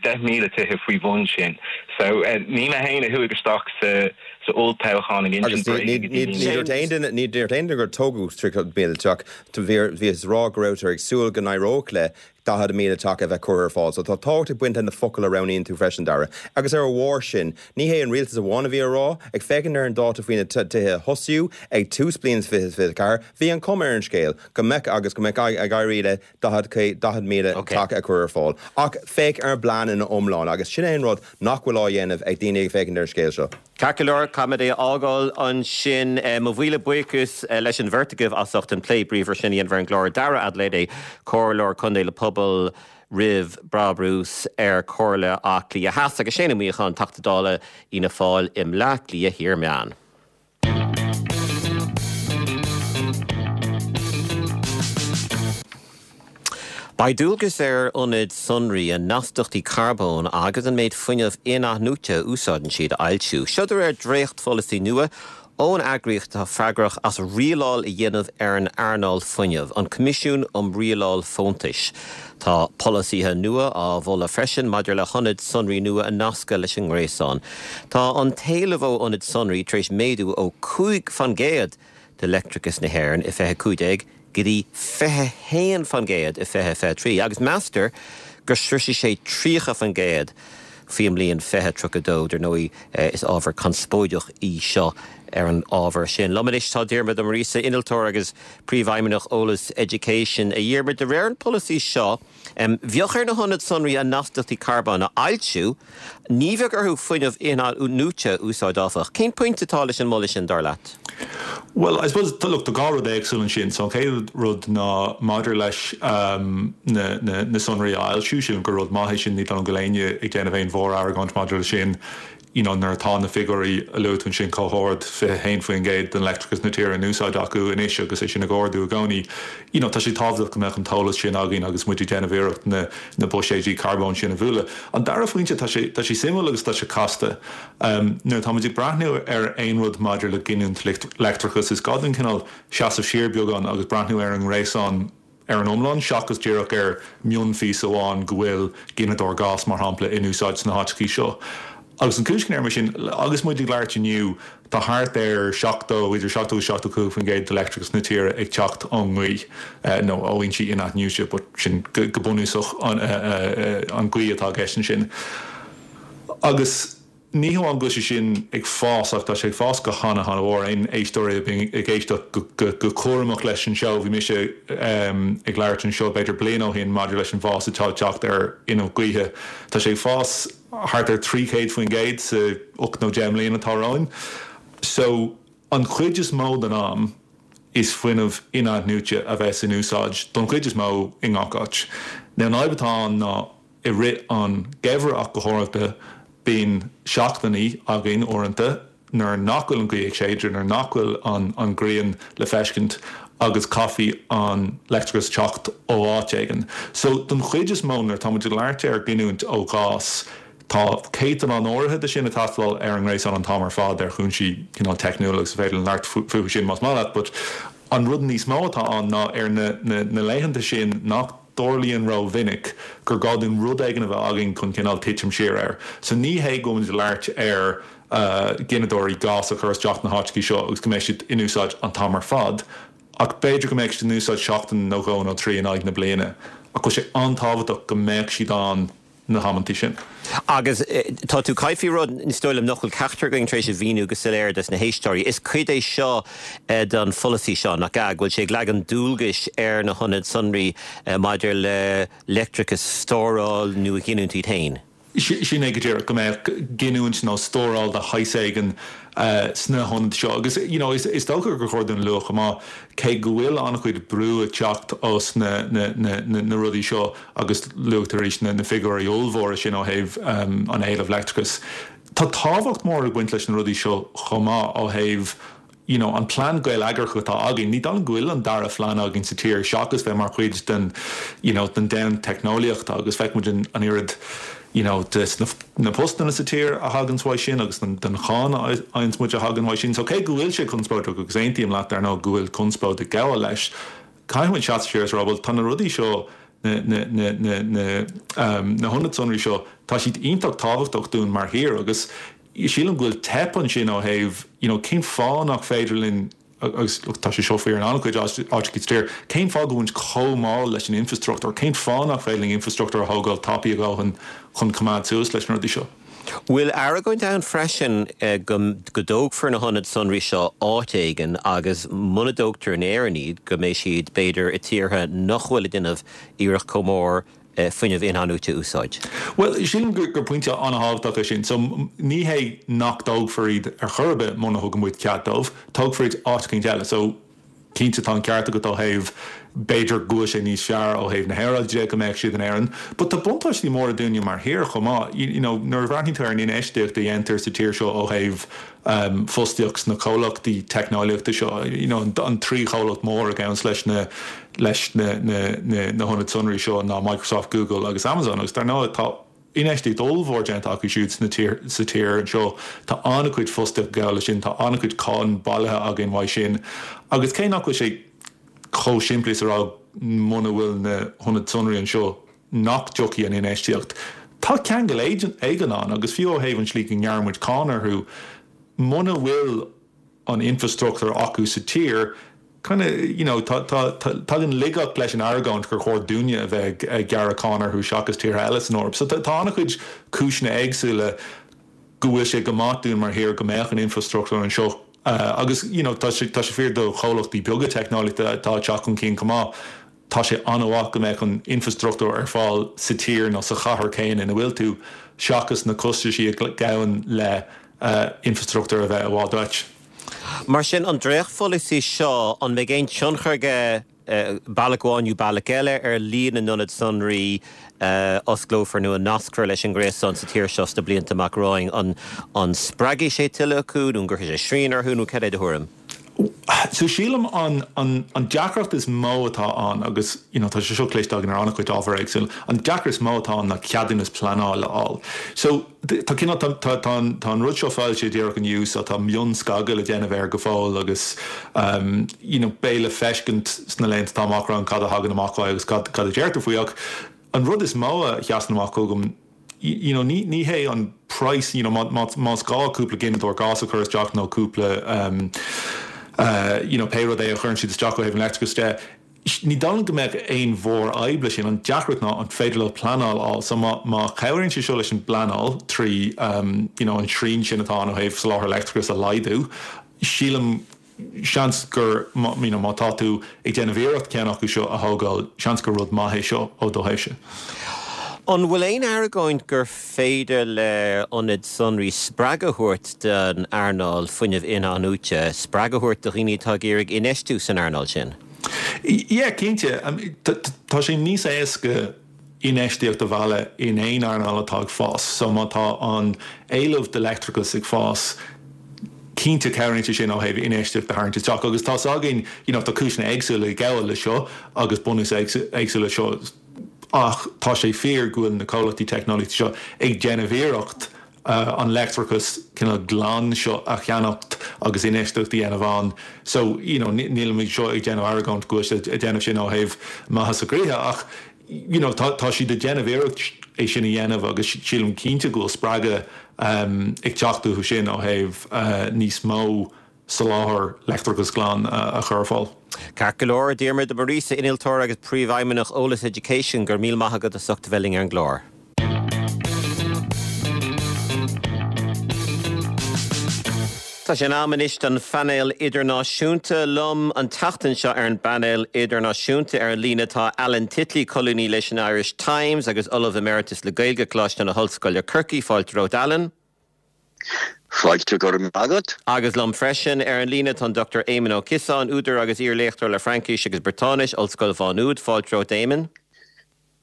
10,000 tithe faoi bhun sin. So ní mé féin a chuaigh isteach sa, sa olltoghchán ag insint bréige go daoine. Ní dúirt aon duine, ní dúirt aon duine gur tógadh 30,000 teach, bhíothas ag rá go rabhtar ag súil go n-éireodh le 40,000 teach a bheith curtha ar fáil. So tá tábhacht ag baint le na focail a roghnaíonn tú freisin, Dara. Agus ar a bharr sin, ní hé an rialtas amháin a bhí á rá, ag féachaint ar an dáta faoi na tithe a thosaíodh ag tús bliain 2024, bhí an chuma ar an scéal go mbeadh agus go mbeadh ag éirí le 40,000 teach a chur ar fáil. Ach féach ar an bplean ina iomlán agus sin é an rud nach bhfuil á dhéanamh ag daoine ag féachaint ar an scéal seo. Ceart go leor, caithfimid é a fhágáil ansin. Mo mhíle buíochas leis an bheirt agaibh as ucht an plé bríomhar sin a dhéanamh ar an gclár. Dara Adelaide, Comhairleoir Contae le Pobal roimh Brabús ar Chomhairle Átha Cliath Theas agus Shane Ó Muíneacháin, Teachta Dála Fhianna Fáil i mBleá Cliath Thiar Meán. Beidh dualgas ar ionaid sonraí a n-astaíochtaí carbóin agus an méid fuinnimh in-athnuaite a úsáideann siad a fhoilsiú. Seo de réir dréachtpholasaí nua ón eagraíocht atá freagrach as rialáil a dhéanamh ar an earnáil fuinnimh, an Coimisiún um Rialáil Fóntais. Tá polasaithe nua á mholadh freisin maidir le hionaid sonraí nua a nascadh leis an ngréasán. Tá an t-éileamh ó ionaid sonraí tar éis méadú ó 5 fan gcéad de leictreachas na hÉireann i 2015 go dtí 21% i 2023 agus meastar go sroisfidh sé 30% faoin mbliain 2032. Dar ndóigh, is ábhar conspóideach í seo ar an ábhar sin. Liom anois tá Diarmuid Ó Muiríosa, innealtóir agus Príomhfheidhmeannach Eolas Education. A Dhiarmuid, de réir an pholasaí seo, Bheadh ar na hionaid sonraí a n-astaíochtaí carbóin a fhoilsiú, ní bheadh orthu fuinneamh in-athnuaite a úsáid áfach. Cén pointe atá leis an moladh sin, dar leat? Bhuel, I suppose, look, tá dhá rud éagsúil ansin. So an chéad rud ná maidir leis na na sonraí a fhoilsiú, sílim gur rud maith é sin, ní dóigh liom go bhfuil éinne ag déanamh aon mhór-argóint maidir leis sin. you know nuair atá na figiúirí a luaigh tú ansin chomh hard, 21% den leictreachas na tíre in úsáid acu anois agus é sin ag ardú i gcónaí, you know tá sé tábhachtach go mbeadh an t-eolas sin againn agus muid ag déanamh iarracht na na buiséidí carbóin sin a bhualadh. An dara phointe, tá sé tá sé suimiúil agus tá sé casta. Nuair atá muid ag breathnú ar aon rud maidir le giniúint leictreachais is gá dúinn cineál seasamh siar beagán agus breathnú ar an ngréasán ar an iomlán, seachas díreach ar mhionphíosa amháin go bhfuil gineadóir gáis, mar shampla, in úsáid sna háiteachaí seo. Agus an chúis go ndeirim é sin, agus muid ag labhairt inniu, tá thart ar 70, idir 70 agus 75% de leictreachas na tíre ag teacht ón ngaoth, nó ó fhoinsí in-athnuaite, but sin go bunúsach an ghaoth atá i gceist ansin. Agus. Ní hamháin go bhfuil sé sin ag fás ach tá sé ag fás go hana hana mhór. Aon éisteoirí a bhíonn ag éisteacht go cúramach leis an seó, bhí mise ag labhairt anseo b'fhéidir bliain ó shin maidir leis an bhfás atá ag teacht ar fhuinneamh gaoithe. Tá sé ag fás thart ar 300% sa 8 nó 10 mbliana atá romhainn. So an chuid is mó den am is fuinneamh in-athnuaite a bheas in úsáid don chuid is mó i ngach áit. Now an fhadhb atá ann ná I rith an gheimhridh ach go háirithe, bíonn seachtainí againn uaireanta nuair nach bhfuil an ghaoth ag séideadh, nuair nach bhfuil an ghrian le feiscint agus caithfidh an leictreachas teacht ó áit éigin. So, don chuid is mó, nuair atá muid ag labhairt ar ghiniúint ó ghás, tá céatadán áirithe de sin ag teastáil ar an ngréasán an t-am ar fad ar chúinsí cineál teicniúla agus is féidir linn labhairt fúthu sin más maith leat, but an rud níos mó atá ann ná ar na laethanta sin nach dtarlaíonn ró-mhinic gur gá dúinn rud éigin a bheith againn chun cineál titim siar air. So ní hé go bhfuil muid ag labhairt ar ghineadóirí gás a chur isteach na háiteachaí seo agus go mbeidh siad in úsáid an t-am ar fad, ach b'fhéidir go mbeadh siad in úsáid seachtain nó dhó nó trí in aghaidh na bliana. Ach bhfuil sé an-tábhachtach go mbeadh siad ann na hamanntaí sin. Agus tá tú ag caint faoi rud, is dóigh liom, nach bhfuil ceachtar againn tar éis a mhíniú go soiléir dos na héisteoirí. Is cuid é seo den pholasaí seo, nach ea, go bhfuil sé ag leagan dualgais ar na hionaid sonraí maidir le leictreachas a stóráil nó a ghiniúint iad féin. Sin é go díreach, go mbeadh giniúint nó stóráil de shaghas éigin sna hionaid seo. Agus you know is dócha gur chóir dúinn a lua chomh maith, cé go bhfuil an-chuid brú ag teacht os na na rudaí seo, agus luaigh tú arís na figiúirí ollmhóra sin ó thaobh an éilimh leictreachais. Tá tábhacht mhór ag baint leis na rudaí seo chomh maith ó thaobh you know an plean geilleagrach atá againn. Ní dóigh liom go bhfuil an dara phlean againn sa tír seachas bheith mar chuid den you know den domhan teicneolaíochta agus feiceann muid an oiread you know de na postanna sa tír a thaganns uaidh sin agus den cháin a fhaigheanns muid a thagann uaidh sin. So cé go bhfuil sé conspóideach agus aontaím leat dar ndóigh go bhfuil conspóid ag gabháil leis, Caithfidh muid seasamh siar is a rá, bhuel, tá na rudaí seo, na, na, na, na, na, na hionaid sonraí seo, tá siad iontach tábhachtach dúinn mar thír agus sílim go bhfuil teip ansin ó thaobh, you know, cén fáth nach féidir linn, agus look, tá sé seo fíor in an-chuid áiteacha sa tír, cén fáth go bhfuil muid chomh mall leis an infrastruchtúr, cén fáth nach féidir linn infrastruchtúr a thógáil tapaidh a dhóthain chun coimeád suas leis na rudaí seo? Bhfuil argóint ann freisin go dtógfar na hionaid sonraí seo áit éigin agus muna dtógtar in Éirinn iad go mbeidh siad b'fhéidir i tíortha nach bhfuil ag déanamh iarracht chomh mór fuinneamh in-athnuaite a úsáid? Bhuel, sílim gur pointe an-thábhachtach é sin. So, ní hé nach dtógfar iad ar chor ar bith muna thugann muid cead dóibh, tógfar iad áit eicínt eile. So, Cinnte tá an ceart agat ó thaobh b'fhéidir go bhfuil sé níos fearr ó thaobh na haeráide de go mbeadh siad in Éirinn. But tá buntáistí móra dúinne mar thír chomh maith. You know nuair a bhreathnaíonn tú ar an infheistíocht a dhéantar sa tír seo ó thaobh fostaíocht sna comhlachtaí teicneolaíochta seo, you know an trí chomhlacht mór a ghabhanns leis na leis na na na na hionaid sonraí seo ná Microsoft, Google agus Amazon agus dar ndóigh tá Infheistíocht ollmhór déanta acu siúd sna tír sa tír anseo. Tá an-chuid fostaíocht ag gabháil leis sin, tá an-chuid cáin bailithe againn uaidh sin. Agus cé nach bhfuil sé chomh simplí is a rá muna bhfuil na hionaid sonraí anseo nach dtiocfaidh an infheistíocht, tá ceangal éigin ann agus fiú ó thaobh an tslí go ngearrann muid cáin orthu, muna bhfuil an infrastruchtúr acu sa tír, kind of, you know, tá, tá, tá, tagann laigeacht leis an argóint gur chóir dúinne a bheith ag gearradh cáin orthu seachas tíortha eile san Eoraip. So tá, tá an-chuid cúiseanna éagsúla go bhfuil sé go maith dúinn mar thír go mbeadh an infrastruchtúr anseo agus, you know, tá sé, tá sé fíor do chomhlachtaí beaga teicneolaíochta atá ag teacht chun cinn chomh maith. Tá sé an-mhaith go mbeadh an infrastruchtúr ar fáil sa tír nó sa chathair céanna ina bhfuil tú, seachas na costaisí a ghabhann le infrastruchtúr a bheith i bhfad uait. Mar sin, an dréachtpholasaí seo, an mbeidh aon tionchar aige, bealach amháin nó bealach eile, ar líon na n-ionad sonraí a osclófar nó a nascfar leis an ngréasán sa tír seo sna blianta amach romhainn? An spreagfaidh sé tuilleadh acu nó an gcuirfidh sé srian orthu nó cad é do thuairim? So sílim an an an deacracht is mó atá ann agus you know tá sé seo cloiste againn ar an-chuid ábhar éagsúil, an deacracht is mó atá ann ná ceadúnas pleanála a fháil. So tá cineál tá tá tá an tá an rud seo foilsithe díreach inniu so tá mionscagadh le déanamh air go fóill agus um you know beidh le feiscint sna laethanta atá amach romhainn cad a thagann amach uaidh agus cad cad a deirtear faoi ach an rud is mó a sheasann amach chugam you know ní ní hé an praghas you know má má más gá cúpla gineadóir gás a chur isteach nó cúpla um uh you know pé rud é a chuireann siad isteach ó thaobh an leictreachais de. Ní dóigh liom go mbeadh aon mhórfhadhb leis sin, an deacracht ná an féidir leo pleanáil a fháil. So má má chabhraíonn sé seo leis an bpleanáil trí you know an srian sin atá ann ó thaobh soláthar leictreachais a laghdú, sílim seans gur you know má tá tú ag déanamh iarracht ceann acu seo a thógáil, seans gur rud maith é seo ó do thaobhse. An bhfuil aon argóint gur féidir le ionaid sonraí spreagadh a thabhairt don earnáil fuinnimh in-athnuaite, spreagadh a thabhairt do dhaoine atá ag iarraidh infheistiú san earnáil sin? Yeah, cinnte. Tá sé níos éasca infheistíocht a mhealladh in aon earnáil atá ag fás. So má tá an éileamh do leictreachas ag fás, cinnte cabhraíonn sé sin ó thaobh infheistíocht a tharraingt isteach. Agus tá's againn, you know, tá cúiseanna éagsúla ag gabháil leis seo agus bunús éagsúil leis seo ach tá sé fíor go bhfuil na comhlachtaí teicneolaíochta seo ag déanamh iarracht an leictreachas cineál glan seo a cheannacht agus infheistíocht a dhéanamh ann. So, you know, nílimid anseo ag déanamh argóint go bhfuil siad ag déanamh sin ó thaobh maitheas a gcroíthe ach, you know, tá, tá siad ag déanamh iarracht é sin a dhéanamh agus sílim cinnte go bhfuil spreagadh ag teacht uathu sin ó thaobh níos mó soláthar leictreachas glan a chur ar fáil. Ceart go leor, a Diarmuid de Muiríosa, Innealtóir agus Príomhfheidhmeannach Eolas Education, go raibh míle maith agat as ucht a bheith linn ar an gclár. Tá sé in am anois don phainéal idirnáisiúnta. Liom an tseachtain seo ar an bpainéal idirnáisiúnta ar an líne tá Alan Titley, colúnaí leis an Irish Times agus Ollamh Emeritus le Gaeilge, Coláiste na hOllscoile Corcaigh. Fáilte romhat Alan. Fáilte, go raibh maith agat. Agus liom freisin ar an líne tá an Dr Éamon Ó Ciosáin, údar agus iar-léachtóir le Fraincis agus Briotáinis, Ollscoil Mhá Nuad. Fáilte romhat Éamon.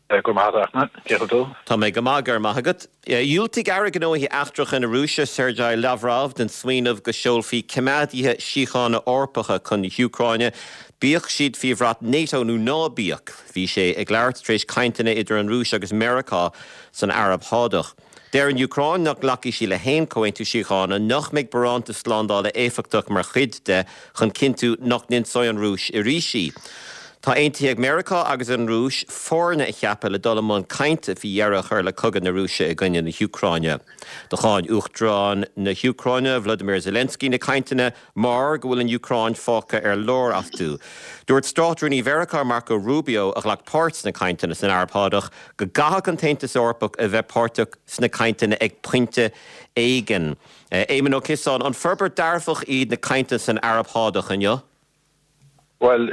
Go raibh maith agat, a Fhachtna. Cén chaoi a bhfuil tú? Tá mé go maith, go raibh maith agat. Dhiúltaigh Aire Gnóthaí Eachtracha na Rúise, Sergei Lavrov, don smaoineamh go seolfaí coimeádaithe síochána Eorpacha chun na hÚcráine, bíodh siad faoi bhrat NATO nó ná bíodh. Bhí sé ag labhairt tar éis cainteanna idir an Rúis agus Meiriceá san Araib Shádach. Deir an Úcráin nach nglacfaidh sí le haon chomhaontú síochána nach mbeidh barántas slándála éifeachtach mar chuid de chun cinntiú nach n-ionsóidh an Rúis arís í. Tá aontaithe ag Meiriceá agus an Rúis foirne a cheapadh le dul i mbun cainte faoi dheireadh a chur le cogadh na Rúise i gcoinne na hÚcráine. Do cháin Uachtarán na hÚcráine, Volodymyr Zelensky, na cainteanna mar go bhfuil an Úcráin fágtha ar lár astu. Dúirt Státrúnaí Mheiriceá Marco Rubio, a ghlac páirt sna cainteanna san Araib Shádach, go gcaithfeadh an tAontas Eorpach a bheith páirteach sna cainteanna ag pointe éigin. Éamon Ó Ciosáin, an forbairt dearfach iad na cainteanna san Araib Shádach inniu? Bhuel,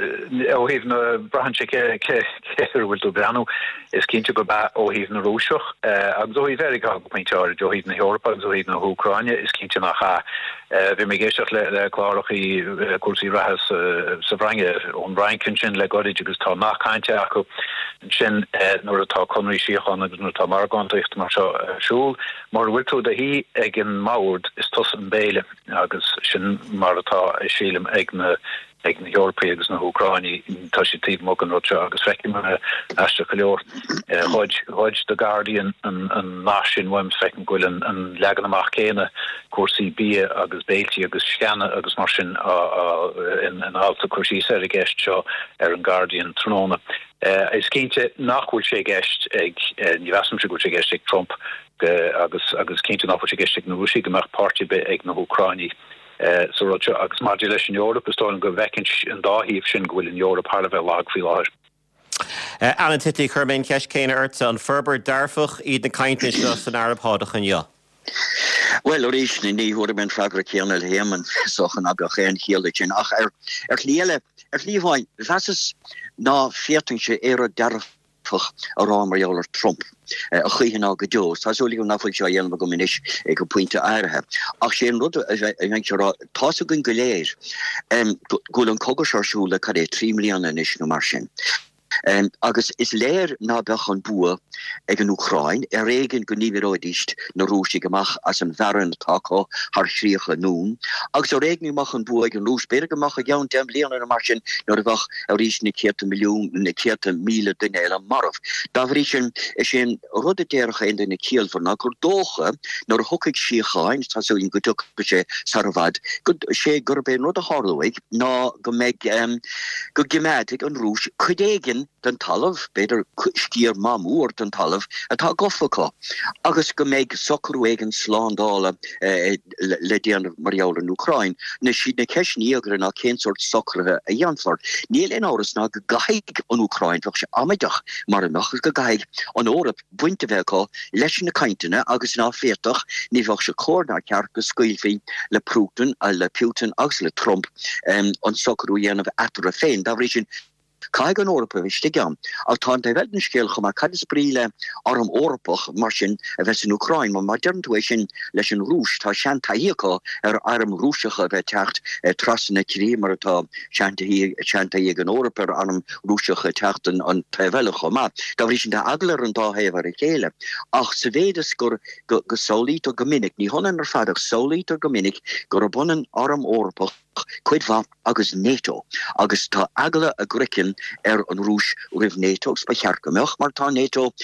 ó thaobh na, braitheann sé cé cé air a bhfuil tú ag breathnú. Is cinnte gurb ea ó thaobh na Rúiseach agus ó thaobh Mheiriceá go pointe áirid, ó thaobh na hEorpa agus ó thaobh na hÚcráine, is cinnte nach ea. Bhí mé ag éisteacht le le clárachaí cúrsaí reatha sa sa bhFrainc, ón bhFrainc ansin le goirid agus tá nath cainte acu ansin nuair atá conraí síochána agus nuair atá margántaíocht mar seo ar siúl, mura bhfuil tú i do shuí ag an mbord, is tusa an béile. Agus sin mar atá, sílim, ag na ag na hEorpaigh agus na hÚcráinigh. Tá siad taobh amuigh den rud seo agus feicim, aisteach go leor, ghoid ghoid The Guardian an an nath sin uaim, feicim go bhfuil an an leagan amach céanna, cúrsaí bia agus béiltí agus sceana agus mar sin á á in in alt ag cur síos ar an gceist seo ar an Guardian tráthnóna. Is cinnte nach bhfuil sé i gceist ag, ní mheasaimse go bhfuil sé i gceist ag Trump agus agus cinnte nach bhfuil sé i gceist ag na Rúisigh go mbeadh páirt ar bith ag na hÚcráinigh sa rud seo. Agus maidir leis an Eoraip, is dóigh liom go bhfeiceann an dá thaobh sin go bhfuil an Eoraip thar a bheith lag faoi láthair. Alan Titley, chuir mé an cheist chéanna ortsa, an forbairt dearfach iad na cainteanna seo san Araib Shádach inniu? Bhuel, arís, ní thabharfaidh mé an freagra céanna le hÉamonn, is dócha ná beadh aon chiall leis sin. Ach ar shlí eile, ar shlí amháin, mheasas ná féadfainnse aon rud dearfach a rá mar gheall ar Trump a choíche ná go deo. Tá súil agam nach bhfuil sé á dhéanamh agam anois go pointe áirithe. Ach sé an rud a bheinnse a rá, tá's againn go léir go bhfuil an cogadh seo ar siúl le cad é, 3 mbliana anois nó mar sin. Agus is léir ná beadh an bua ag an Úcráin, ar éigean go ndíbreoidís na Rúisigh amach as an bhfearann atá acu thar 30 anonn, agus ar éigean go mbeadh an bua ag an Rúis, b'fhéidir go mbeadh i gceann 10 mbliana nó mar sin nuair a bheadh arís na céadta milliún, na céadta míle duine eile marbh. Dá bhrí sin, is é an rud a déarfadh aon duine ciallmhar ná gur dócha nuair a thiocfaidh síocháin, tá súil againn go dtiocfaidh sé sar i bhfad, go, sé gurb é an rud a tharlóidh ná go mbeidh, go gcimeádfaidh an Rúis cuid éigin. den talamh, b'fhéidir sciar maith mór den talamh atá gafa acu, agus go mbeidh socrú éigin slándála le déanamh mar gheall ar an Úcráin. Anois, siad na ceisteanna íogaire ná cén sórt socruithe a dhéanfar. Níl aon amhras ná go gcaithfidh an Úcráin, bheadh sé amaideach mara mbeadh, agus go gcaithfidh an Eoraip baint a bheith acu leis na cainteanna agus ná féadfadh, ní bheadh sé cóir ná ceart go scaoilfí le Putin, le Putin agus le Trump an socrú a dhéanamh eatarthu féin. Dá bhrí sin, Caithfidh an Eoraip a bheith istigh ann. Ach tá an taobh eile den scéal chomh maith, cad is brí le arm Eorpach mar sin a bheith san Úcráin? Mar má deireann tú é sin leis an Rúis, tá seantaithí acu ar airm Rúiseacha a bheith ag teacht trasna na críche mar atá seantaithí ag an Eoraip ar airm Rúiseacha ag teacht an taobh eile chomh maith. Dá bhrí sin tá eagla ar an dá thaobh ar a chéile. Ach sa mhéid is gur go samhlaítear go minic, ní hionann ar fad ach samhlaítear go minic gurb ionann arm Eorpach, cuid mhaith agus NATO agus tá eagla a gcraicinn ar an Rúis roimh NATO agus ba cheart go mbeadh mar tá NATO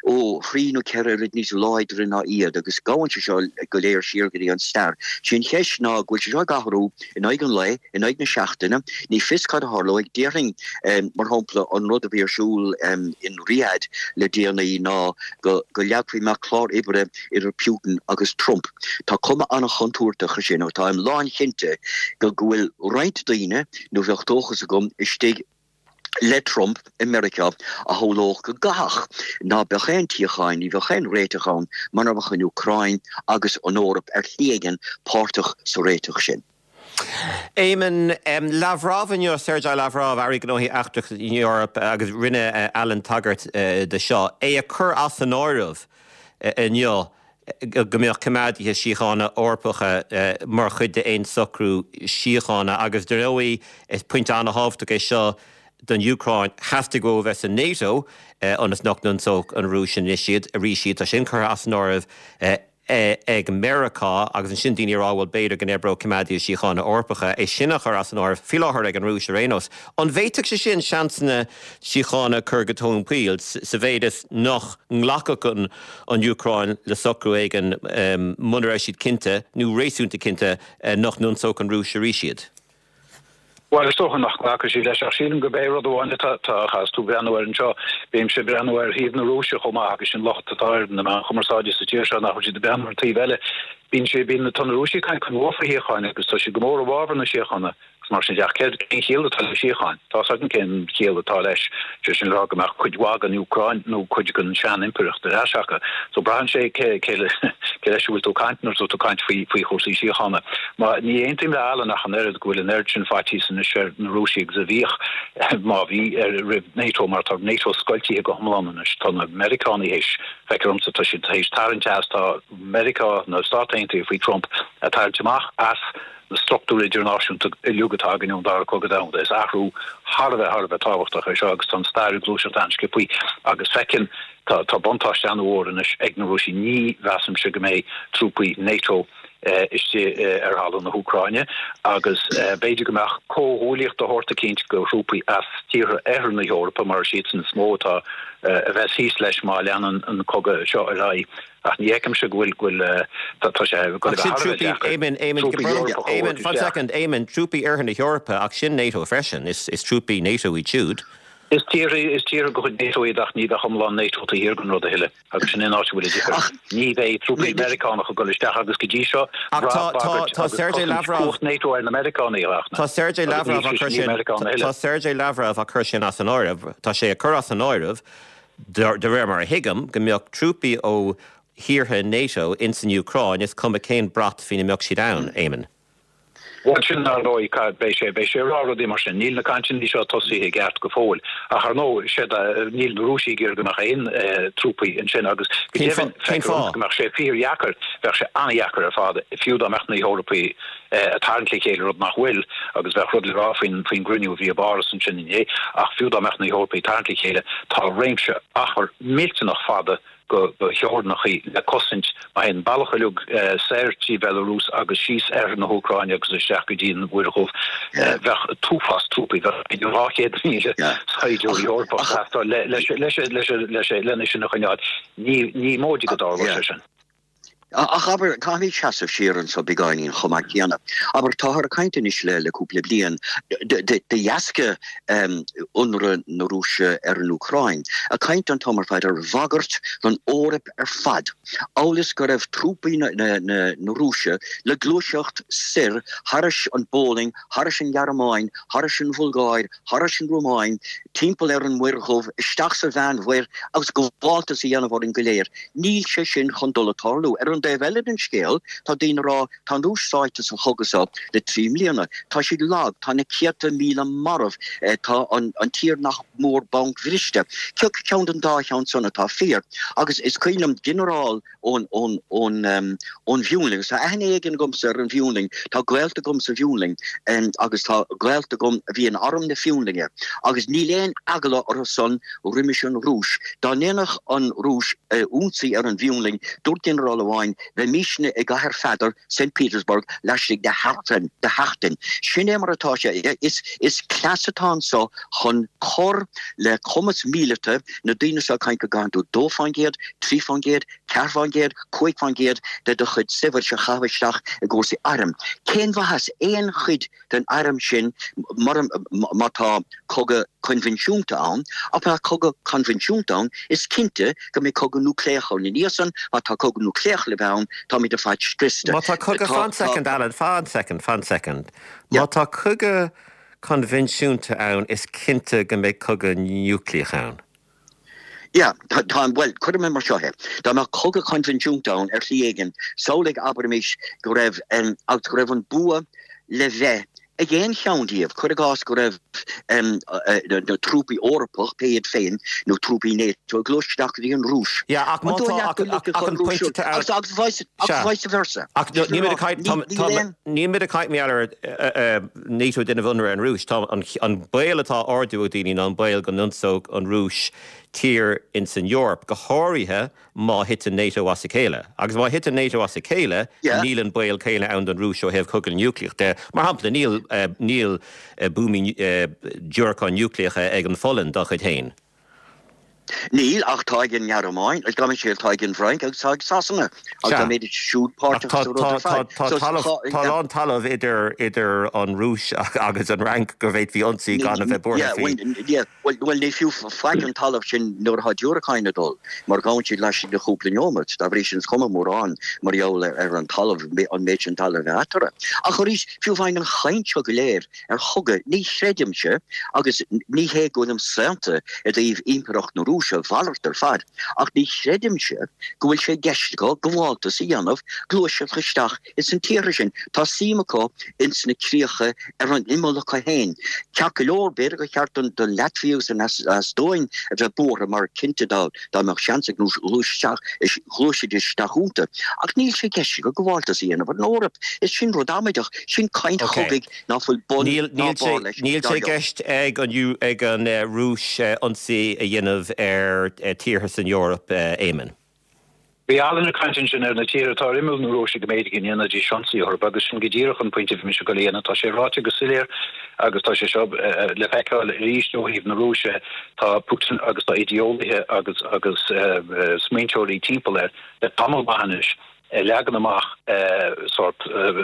ó thrí nó ceithre oiread níos láidre ná iad agus gabhann sé seo go léir siar go dtí an stair. Sé an cheist ná go bhfuil sé seo ag athrú in aghaidh an lae, in aghaidh na seachtaine, ní fios cad a tharlóidh. Déarfainn mar shampla an rud a bhí ar siúl in Riyadh le déanaí ná go leagfaí amach clár oibre idir Putin agus Trump. Tá cuma an-chontúirteach air sin ach táim lánchinnte go bhfuil roinnt daoine, nó bheadh dóchas agam, istigh le Trump i Meiriceá a shamhlódh go gcaithfeadh ná beadh aon tsíocháin, ní bheadh aon réiteach ann mura mbeadh an Úcráin agus an Eoraip ar shlí éigin páirteach sa réiteach sin. Éamonn, Lavrov inniu, Sergei Lavrov, Aire Gnóthaí Eachtracha na hEorpa, agus rinne Alan tagairt do seo, é ag cur as an áireamh inniu go mbeadh coimeádaithe síochána Eorpacha mar chuid d'aon socrú síochána agus dar ndóigh is pointe an-thábhachtach é seo don Úcráin. Theastaigh uathu a bheith sa NATO ionas nach n-ionsódh an Rúis anois iad arís iad. Tá sin curtha as an áireamh. ag Meiriceá agus ansin daoine ag rá bhuel b'fhéidir go n-oibreodh coimeádaithe síochána Eorpacha, é sin á chur as an áireamh faoi láthair ag an Rúis ar aon nós. An bhféadfadh sé sin seansanna síochána a chur go tóin poill sa mhéid is nach nglacfadh an Úcráin le socrú éigin muna raibh siad cinnte, nó réasúnta cinnte, nach n-ionsódh an Rúis arís iad? Bhuel, is dócha nach nglacfaidh siad leis, ach sílim gurb é rud amháin atá, tá, is tú ag breathnú air anseo, bímse ag breathnú ar thaobh na Rúise chomh maith agus sin locht atá ar na meáin chumarsáide sa tír seo nach bhfuil siad ag breathnú ar an taobh eile. Bíonn sé, bíonn, tá na Rúisigh ag caint go mór faoi shíocháin agus tá siad go mór i bhfabhar na síochána agus mar sin de ach céard, cén chiall atá le síocháin? Tá's againn cén chiall atá leis, sé sin le rá go mbeadh cuid mhaith den Úcráin nó cuid den sean-impireacht ar ais acu. So braitheann sé cé, cé leis a bhfuil tú ag caint nuair atá tú ag caint faoi, faoi chúrsaí síochána. Má, ní aontaím le Alan ach an oiread go bhfuil an oiread sin faitíos anois ar na Rúisigh agus a bhíodh, má bhí, ar, roimh NATO mar tá NATO scoiltithe go hiomlán anois. Tá na Meiriceánaigh théis, feictear domsa, tá siad théis tarraingt as, tá Meiriceá, na Stáit Aontaithe faoi Trump, ag tarraingt amach as na struchtúir idirnáisiúnta uilig atá againn ón Dara Cogadh Domhanda. Is athrú thar a bheith, thar a bheith tábhachtach é seo agus tá an stair ag gluaiseacht an-sciobthaí agus feiceann, tá, tá buntáiste an-mhór anois ag na Rúisigh. Ní mheasaimse go mbeidh trúpaí NATO istigh ar thalamh na hÚcráine agus b'fhéidir go mbeadh comhghuaillíocht de shórt eicínt de thrúpaí as tíortha oirthear na hEorpa, mar is iadsan is mó atá a bheas thíos leis má leanann an cogadh seo ar aghaidh. Ach ní fheicimse go bhfuil, go bhfuil, tá sé ag dul a bheith thar a bheith deacair trúpaí Eorpacha a thabhairt isteach. One second, Éamonn, trúpaí oirthear na hEorpa, ach sin NATO freisin, is trúpaí NATO iad siúd. Is tíortha, is tíortha de chuid NATO iad ach ní bheadh iomlán NATO taobh thiar den rud a thuilleadh. Agus sin é an áit a bhfuil an difear. Ní bheidh trúpaí Meiriceánacha ag dul isteach agus go dtí seo, bhraith bagairt agus cosaint cumhacht NATO ar na Meiriceánaigh a Tá Sergei Lavrov á cur sin Tá Sergei Lavrov á cur sin as an áireamh. Tá sé ag cur as an áireamh, de réir mar a thuigim, go mbeadh trúpaí ó thíortha NATO ins an Úcráin, is cuma cén brat faoina mbeadh siad ann, Éamonn. Bhuel, sin ar ndóigh, beidh sé, beidh sé ag rá rudaí mar sin. Níl na cainteanna seo tosaithe i gceart go fóill. Ach ar ndóigh, sé níl na Rúisigh ag iarraidh go mbeadh aon trúpaí ansin agus go deimhin, feictear dom go mbeadh sé fíordheacair, bheadh sé an-dheacair ar fad, fiú dá mbeadh na hEorpaigh ag tarraingt le chéile, rud nach bhfuil, agus bheadh rud le rá faoin, faoin gcruinniú a bhí i bPáras ansin inné, ach fiú dá mbeadh na hEorpaigh ag tarraingt le chéile, tá réimse achar millteanach fada go theorainneacha le cosaint má théann an bealach uilig soir trí Bhelarús agus síos oirthear na hÚcráine agus isteach go dtí an Mhuir Dhubh. Bheadh an t-uafás trúpaí, bheadh idir 200,000 saighdiúir Eorpach ag teastáil lena sin a choinneáil. Ní móide go dtarlódh sé sin. Ach abair, caithfimid seasamh siar anso beagáinín chomh maith céanna. Abair, táthar ag caint anois le le cúpla bliain, de dheasca ionradh na Rúise ar an Úcráin, ag caint an t-am ar fad ar bhagairt don Eoraip ar fad, amhail is go raibh trúpaí na Rúise le gluaiseacht soir thairis an bPólainn, thairis an Ghearmáin, thairis an Bhulgáir, thairis an Rómáin, timpeall ar an Muir Dhubh, isteach sa Mheánmhuir agus gabháltas a dhéanamh orainn go léir. Níl sé sin chun dul ag tarlú. Ar an dtaobh eile den scéal, tá daoine ag rá, tá an Rúis sáite sa chogadh seo le 3 mbliana, tá siad lag, tá na céadta míle marbh, tá an tír nach mór bancbhriste. Cé acu ceann den dá cheann san atá fíor? Agus is cuimhin liom ginearál ón bhFionlainn, agus tá aithne éigin agamsa ar an bhFionlainn, tá gaolta agam sa bhFionlainn agus tá gaolta agam a bhí in arm na Fionlainne agus níl aon eagla orthu san roimis an Rúis. Dá ndéanfadh an Rúis ionsaí ar an bhFionlainn, dúirt ginearál amháin, bheimísne i gCathair Pheadair, Saint Petersburg, laistigh de sheachtain. Sin é mar atá sé. Is cleas atá anso chun cur le cumas míleata na daoine seo ag caint go gcaitheann tú 2%, 3%, 4%, 5% de do chuid saibhris a chaitheamh isteach i gcúrsaí airm. Cén mhaitheas aon chuid den airm sin mura, má tá cogadh coinbhinsiúnta ann, ach má tá cogadh coinbhinsiúnta ann, is cinnte go mbeidh cogadh núicléach ann. Ina dhiaidh san, má tá cogadh núicléach le bheith ann, táimid ar fad scriosta. Má tá cogadh, fan soicind, Alan, fan soicind, fan soicind. Má tá cogadh coinbhinsiúnta ann, is cinnte go mbeidh cogadh núicléach ann. Yeah, tá, tá, bhuel, cuirfidh mé mar seo é. Dá mbeadh cogadh coinbhinsiúnta ann ar shlí éigin, samhlaigh, abraimis, go raibh, agus go raibh an bua le bheith ag aon cheann díobh, cuir i gcás go raibh na trúpaí Eorpach, pé iad féin, nó trúpaí NATO ag gluaiseacht isteach go dtí an Rúis. Yeah, ach má tá, ach, ach, ach an pointe atá ann. Agus, agus vice, agus vice versa. Ach níl muid ag caint, tá, tá, níl muid ag caint mar gheall ar NATO ag déanamh ionradh ar an Rúis. Tá an baol atá á ardú ag daoine ná an baol go n-ionsódh an Rúis tír ins an Eoraip, go háirithe má thiteann NATO as a chéile. Agus má thiteann NATO as a chéile, níl an baol céanna ann don Rúis ó thaobh cogadh núicléach de. Mar shampla, níl níl buamaí diúracáin núicléacha ag an Pholainn dá chuid féin. Níl, ach tá ag an nGearmáin, gabh mo leithscéal, tá ag an bhFrainc agus tá ag Sasana. Agus tá mé siúd páirteach sa rud ar fad. Tá a lán talamh idir an Rúis agus an Fhrainc go bhféadfaí ionsaí gan a bheith buartha faoi. Bhuel, ní fiú faic an talamh sin nuair atá diúracáin ag dul, mar gabhann siad laistigh de chúpla neomat. Dá bhrí sin, is cuma mórán mar gheall ar an talamh, an méid sin talaimh a bheith eatarthu. Ach arís, fiú amháin an chaint seo go léir, ar chogadh. Ní chreidimse, agus ní hé go bhfuilim saonta i dtaobh Impireacht na Rúise, a mhalairt ar fad, ach ní chreidimse go bhfuil sé i gceist acu gabháltas a dhéanamh, gluaiseacht isteach ins an tíortha sin. Tá suim acu ins na críocha ar an imeall acu féin. Ceart go leor, b'fhéidir gur cheart don Laitvia agus don Eastóin a bheith buartha mar cinnte dá mbeadh seans ag an Rúis ghluaisfidís isteach iontu. Ach níl sé i gceist acu gabháltas a dhéanamh ar an Eoraip. Is sin rud amaideach. Sin caint chogaidh ná fuil bun ná barr leis. Níl sé i gceist ag an Rúis ionsaí a dhéanamh ar tíortha san Eoraip, Éamonn. Bhí Alan ag caint ansin ar na tíortha atá ar imeall na Rúise go mb'fhéidir go ndéanfaidís ionsaí orthu agus sin go díreach an pointe a bhí mise ag dul a dhéanamh. Tá sé ráite go soiléir agus tá sé seo le feiceáil arís ó thaobh na Rúise, tá Putin agus tá idéolaithe agus agus smaointeoirí timpeall air le tamall maith anois. ag leagan amach sórt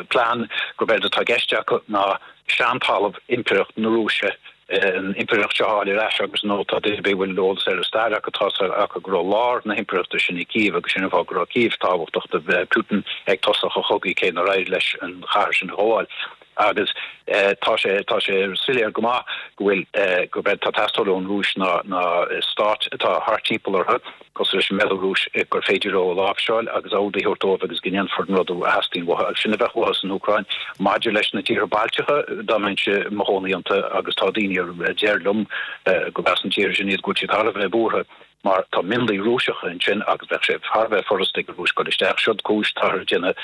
plean gurb éard atá i gceist acu ná seantalamh Impireacht na Rúise, an Impireacht seo a fháil ar ais agus nó tá duine ar bith a bhfuil eolas ar an stair acu, tá a fhios acu go raibh lár na hImpireachta sin i Kiev agus sin an fáth go raibh Kiev tábhachtach do Putin ag tosach a chogaidh cé nár éirigh leis an chathair sin a ghabháil. Agus tá sé, tá sé soiléir go maith go bhfuil, gurb éard atá ag teastáil ón Rúis ná, ná stáit atá thart timpeall orthu, cosúil leis an mBealarúis, gur féidir leo a láimhseáil agus ord a thabhairt dóibh agus go ndéanfar an rud a theastaíonn uathu. Agus sin a bheadh uathu san Úcráin. Maidir leis na tíortha Bailteacha, dá mbeinnse i mo chónaí iontu, agus tá daoine a deir liom gurb as na tíortha sin iad, go bhfuil siad thar a bheith buartha, mar tá mionlaigh Rúiseacha ansin agus bheadh sé thar a bheith furasta ag an Rúis dul isteach. Siod cúis táthar ag déanamh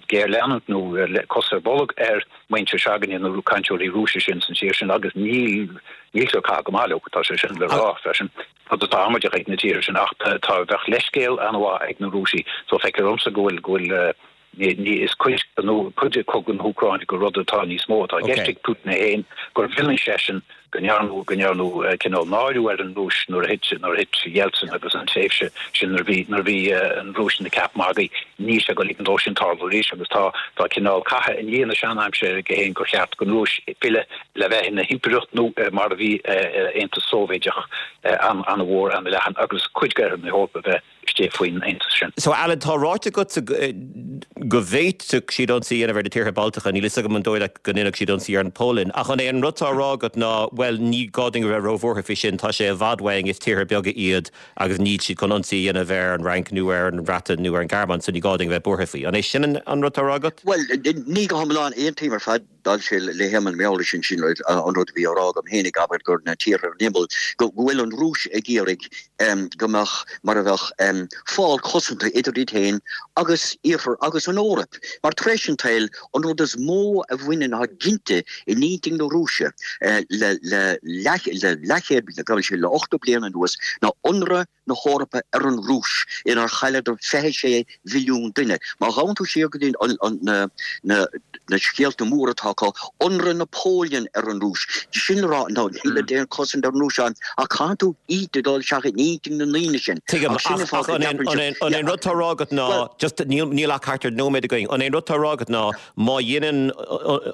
géarleanúint nó cos ar bolg ar mhuintir s'againne, na cainteoirí Rúisise sin san tír sin agus níl níltear ag caitheamh go maith leo, tá sé sin le rá freisin. Rud atá amaideach ag na tíortha sin ach tá bheadh leithscéal an-mhaith ag na Rúisigh so feictear domsa go bhfuil go bhfuil. Ní, is cuid cuid de chogadh na hÚcráine gur rud atá níos mó atá i gceist ag Putin é féin, gur mhilleann seisean go ndearnadh go ndearnadh cineál náiriú ar an Rúis nuair a thit nuair a thit Yeltsin agus an tréimhse sin nuair a bhí nuair a bhí an Rúis ina ceap magaidh. Níl sé ag dul ligean dó sin tarlú arís agus tá tá cineál catha i ndiaidh na seanaimsire aige féin gur cheart don Rúis filleadh le bheith ina himpireacht nó mar a bhí Aontas Sóivéideach an-mhór an-leathan agus cuid d'oirthear na hEorpa a bheith istigh faoin aontas sin. So, Alan, tá ráite agatsa go bhféadfadh siad ionsaí a dhéanamh ar na tíortha Baltacha, níl fhios agam an dóigh leat go ndéanfadh siad ionsaí ar an Pholainn, ach an é an rud atá á rá agat ná, bhuel, ní gá dúinn a bheith róbhuartha faoi sin, tá sé i bhfad uainn, is tíortha beaga iad agus níl siad chun ionsaí a dhéanamh ar an Fhrainc nó ar an Bhreatain nó ar an Ghearmáin, so ní gá dúinn a bheith buartha faoi. An é sin an rud atá á rá agat? Bhuel, ní go hiomlán, aontaím ar fad. D'fhoilsigh le hÉamonn Meabhrais ansin an rud a bhí á rá agam féin ag abair gur na tíortha ar an imeall, go bhfuil an Rúis ag iarraidh go mbeadh mar a bheadh fál cosanta idir iad féin agus Iarthar agus an Eoraip. Mar tar éis an tsaoil, an rud is mó a bhaineann atá ginte in intinn na Rúise le leathchéad, gabhann sé le 80 bliain anuas, ná ionradh na hEorpa ar an Rúis, inar chailleadar 26 mhilliún duine. Má ghabhann tú siar go dtí na scéalta móra atá acu, ionradh Napoleon ar an Rúis, sin le rá, ná níl aon chosaint ar an Rúis ann, ach caithfidh tú iad a dul isteach in intinn na ndaoine sin. Tuigim, ach an é an rud atá á rá agat ná, just níl ach thart ar nóiméad againn, an é an rud atá á rá agat ná má dhéanann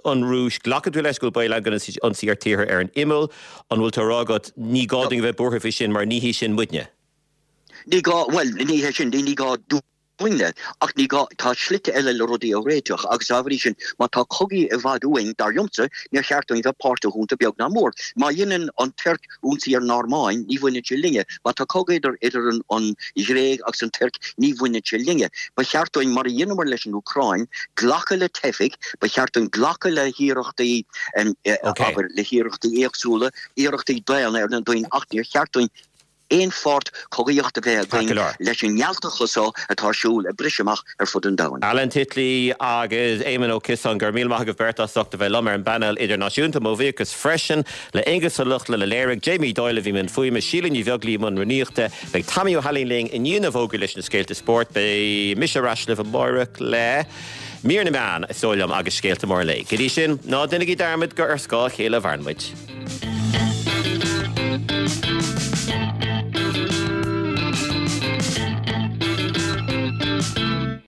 an Rúis, glacann tú leis go bhfuil baol ann go ndéanfaidh siad ionsaí ar tíortha ar an imeall, An bhfuil tú á rá agat, ní gá dúinn a bheith buartha faoi sin mar ní hí sin muidne? Ní gá, bhuel, ní hé sin, ní gá dúinne, ach ní gá, tá slite eile le rudaí a réiteach agus dá bhrí sin, má tá cogaí i bhfad uainn, dar liomsa, níor cheart dúinn bheith páirteach iontu beag ná mór. Má dhéanann an Tuirc ionsaí ar an Airméin, ní bhaineann sé linne. Má tá cogadh idir, idir an, an Ghréig agus an Tuirc, ní bhaineann sé linne. Ba cheart dúinn, mar a dheineamar leis an Úcráin, glacadh le teifigh, ba cheart dúinn glacadh le hiarrachtaí, abair, le hiarrachtaí éagsúla, iarrachtaí daonna ar na daoine ach níor cheart dúinn aon pháirt cogaíochta a bheith againn leis an ngealtachas seo atá ar siúl ag briseadh amach ar fud an domhain. Alan Titley agus Éamonn Ó Ciosáin, go raibh míle maith agaibh beirt as ucht a bheith liom ar an bpainéal idirnáisiúnta. Mo bhuíochas freisin le Aonghus Ó Lochlainn a léirigh, Jamie Doyle a bhí i mbun fuaime, Síle Ní Bheaglaoí i mbun rúnaíochta. Beidh Tommy Ó hAilín linn i ndiaidh na bhfógraí leis na scéalta spóirt. Beidh mise ar ais libh amárach le. Mír na meán, is dóigh liom, agus scéalta móra an lae. Go dtí sin, ná déanaigí dearmad gur ar scáth a chéile a mhaireann muid.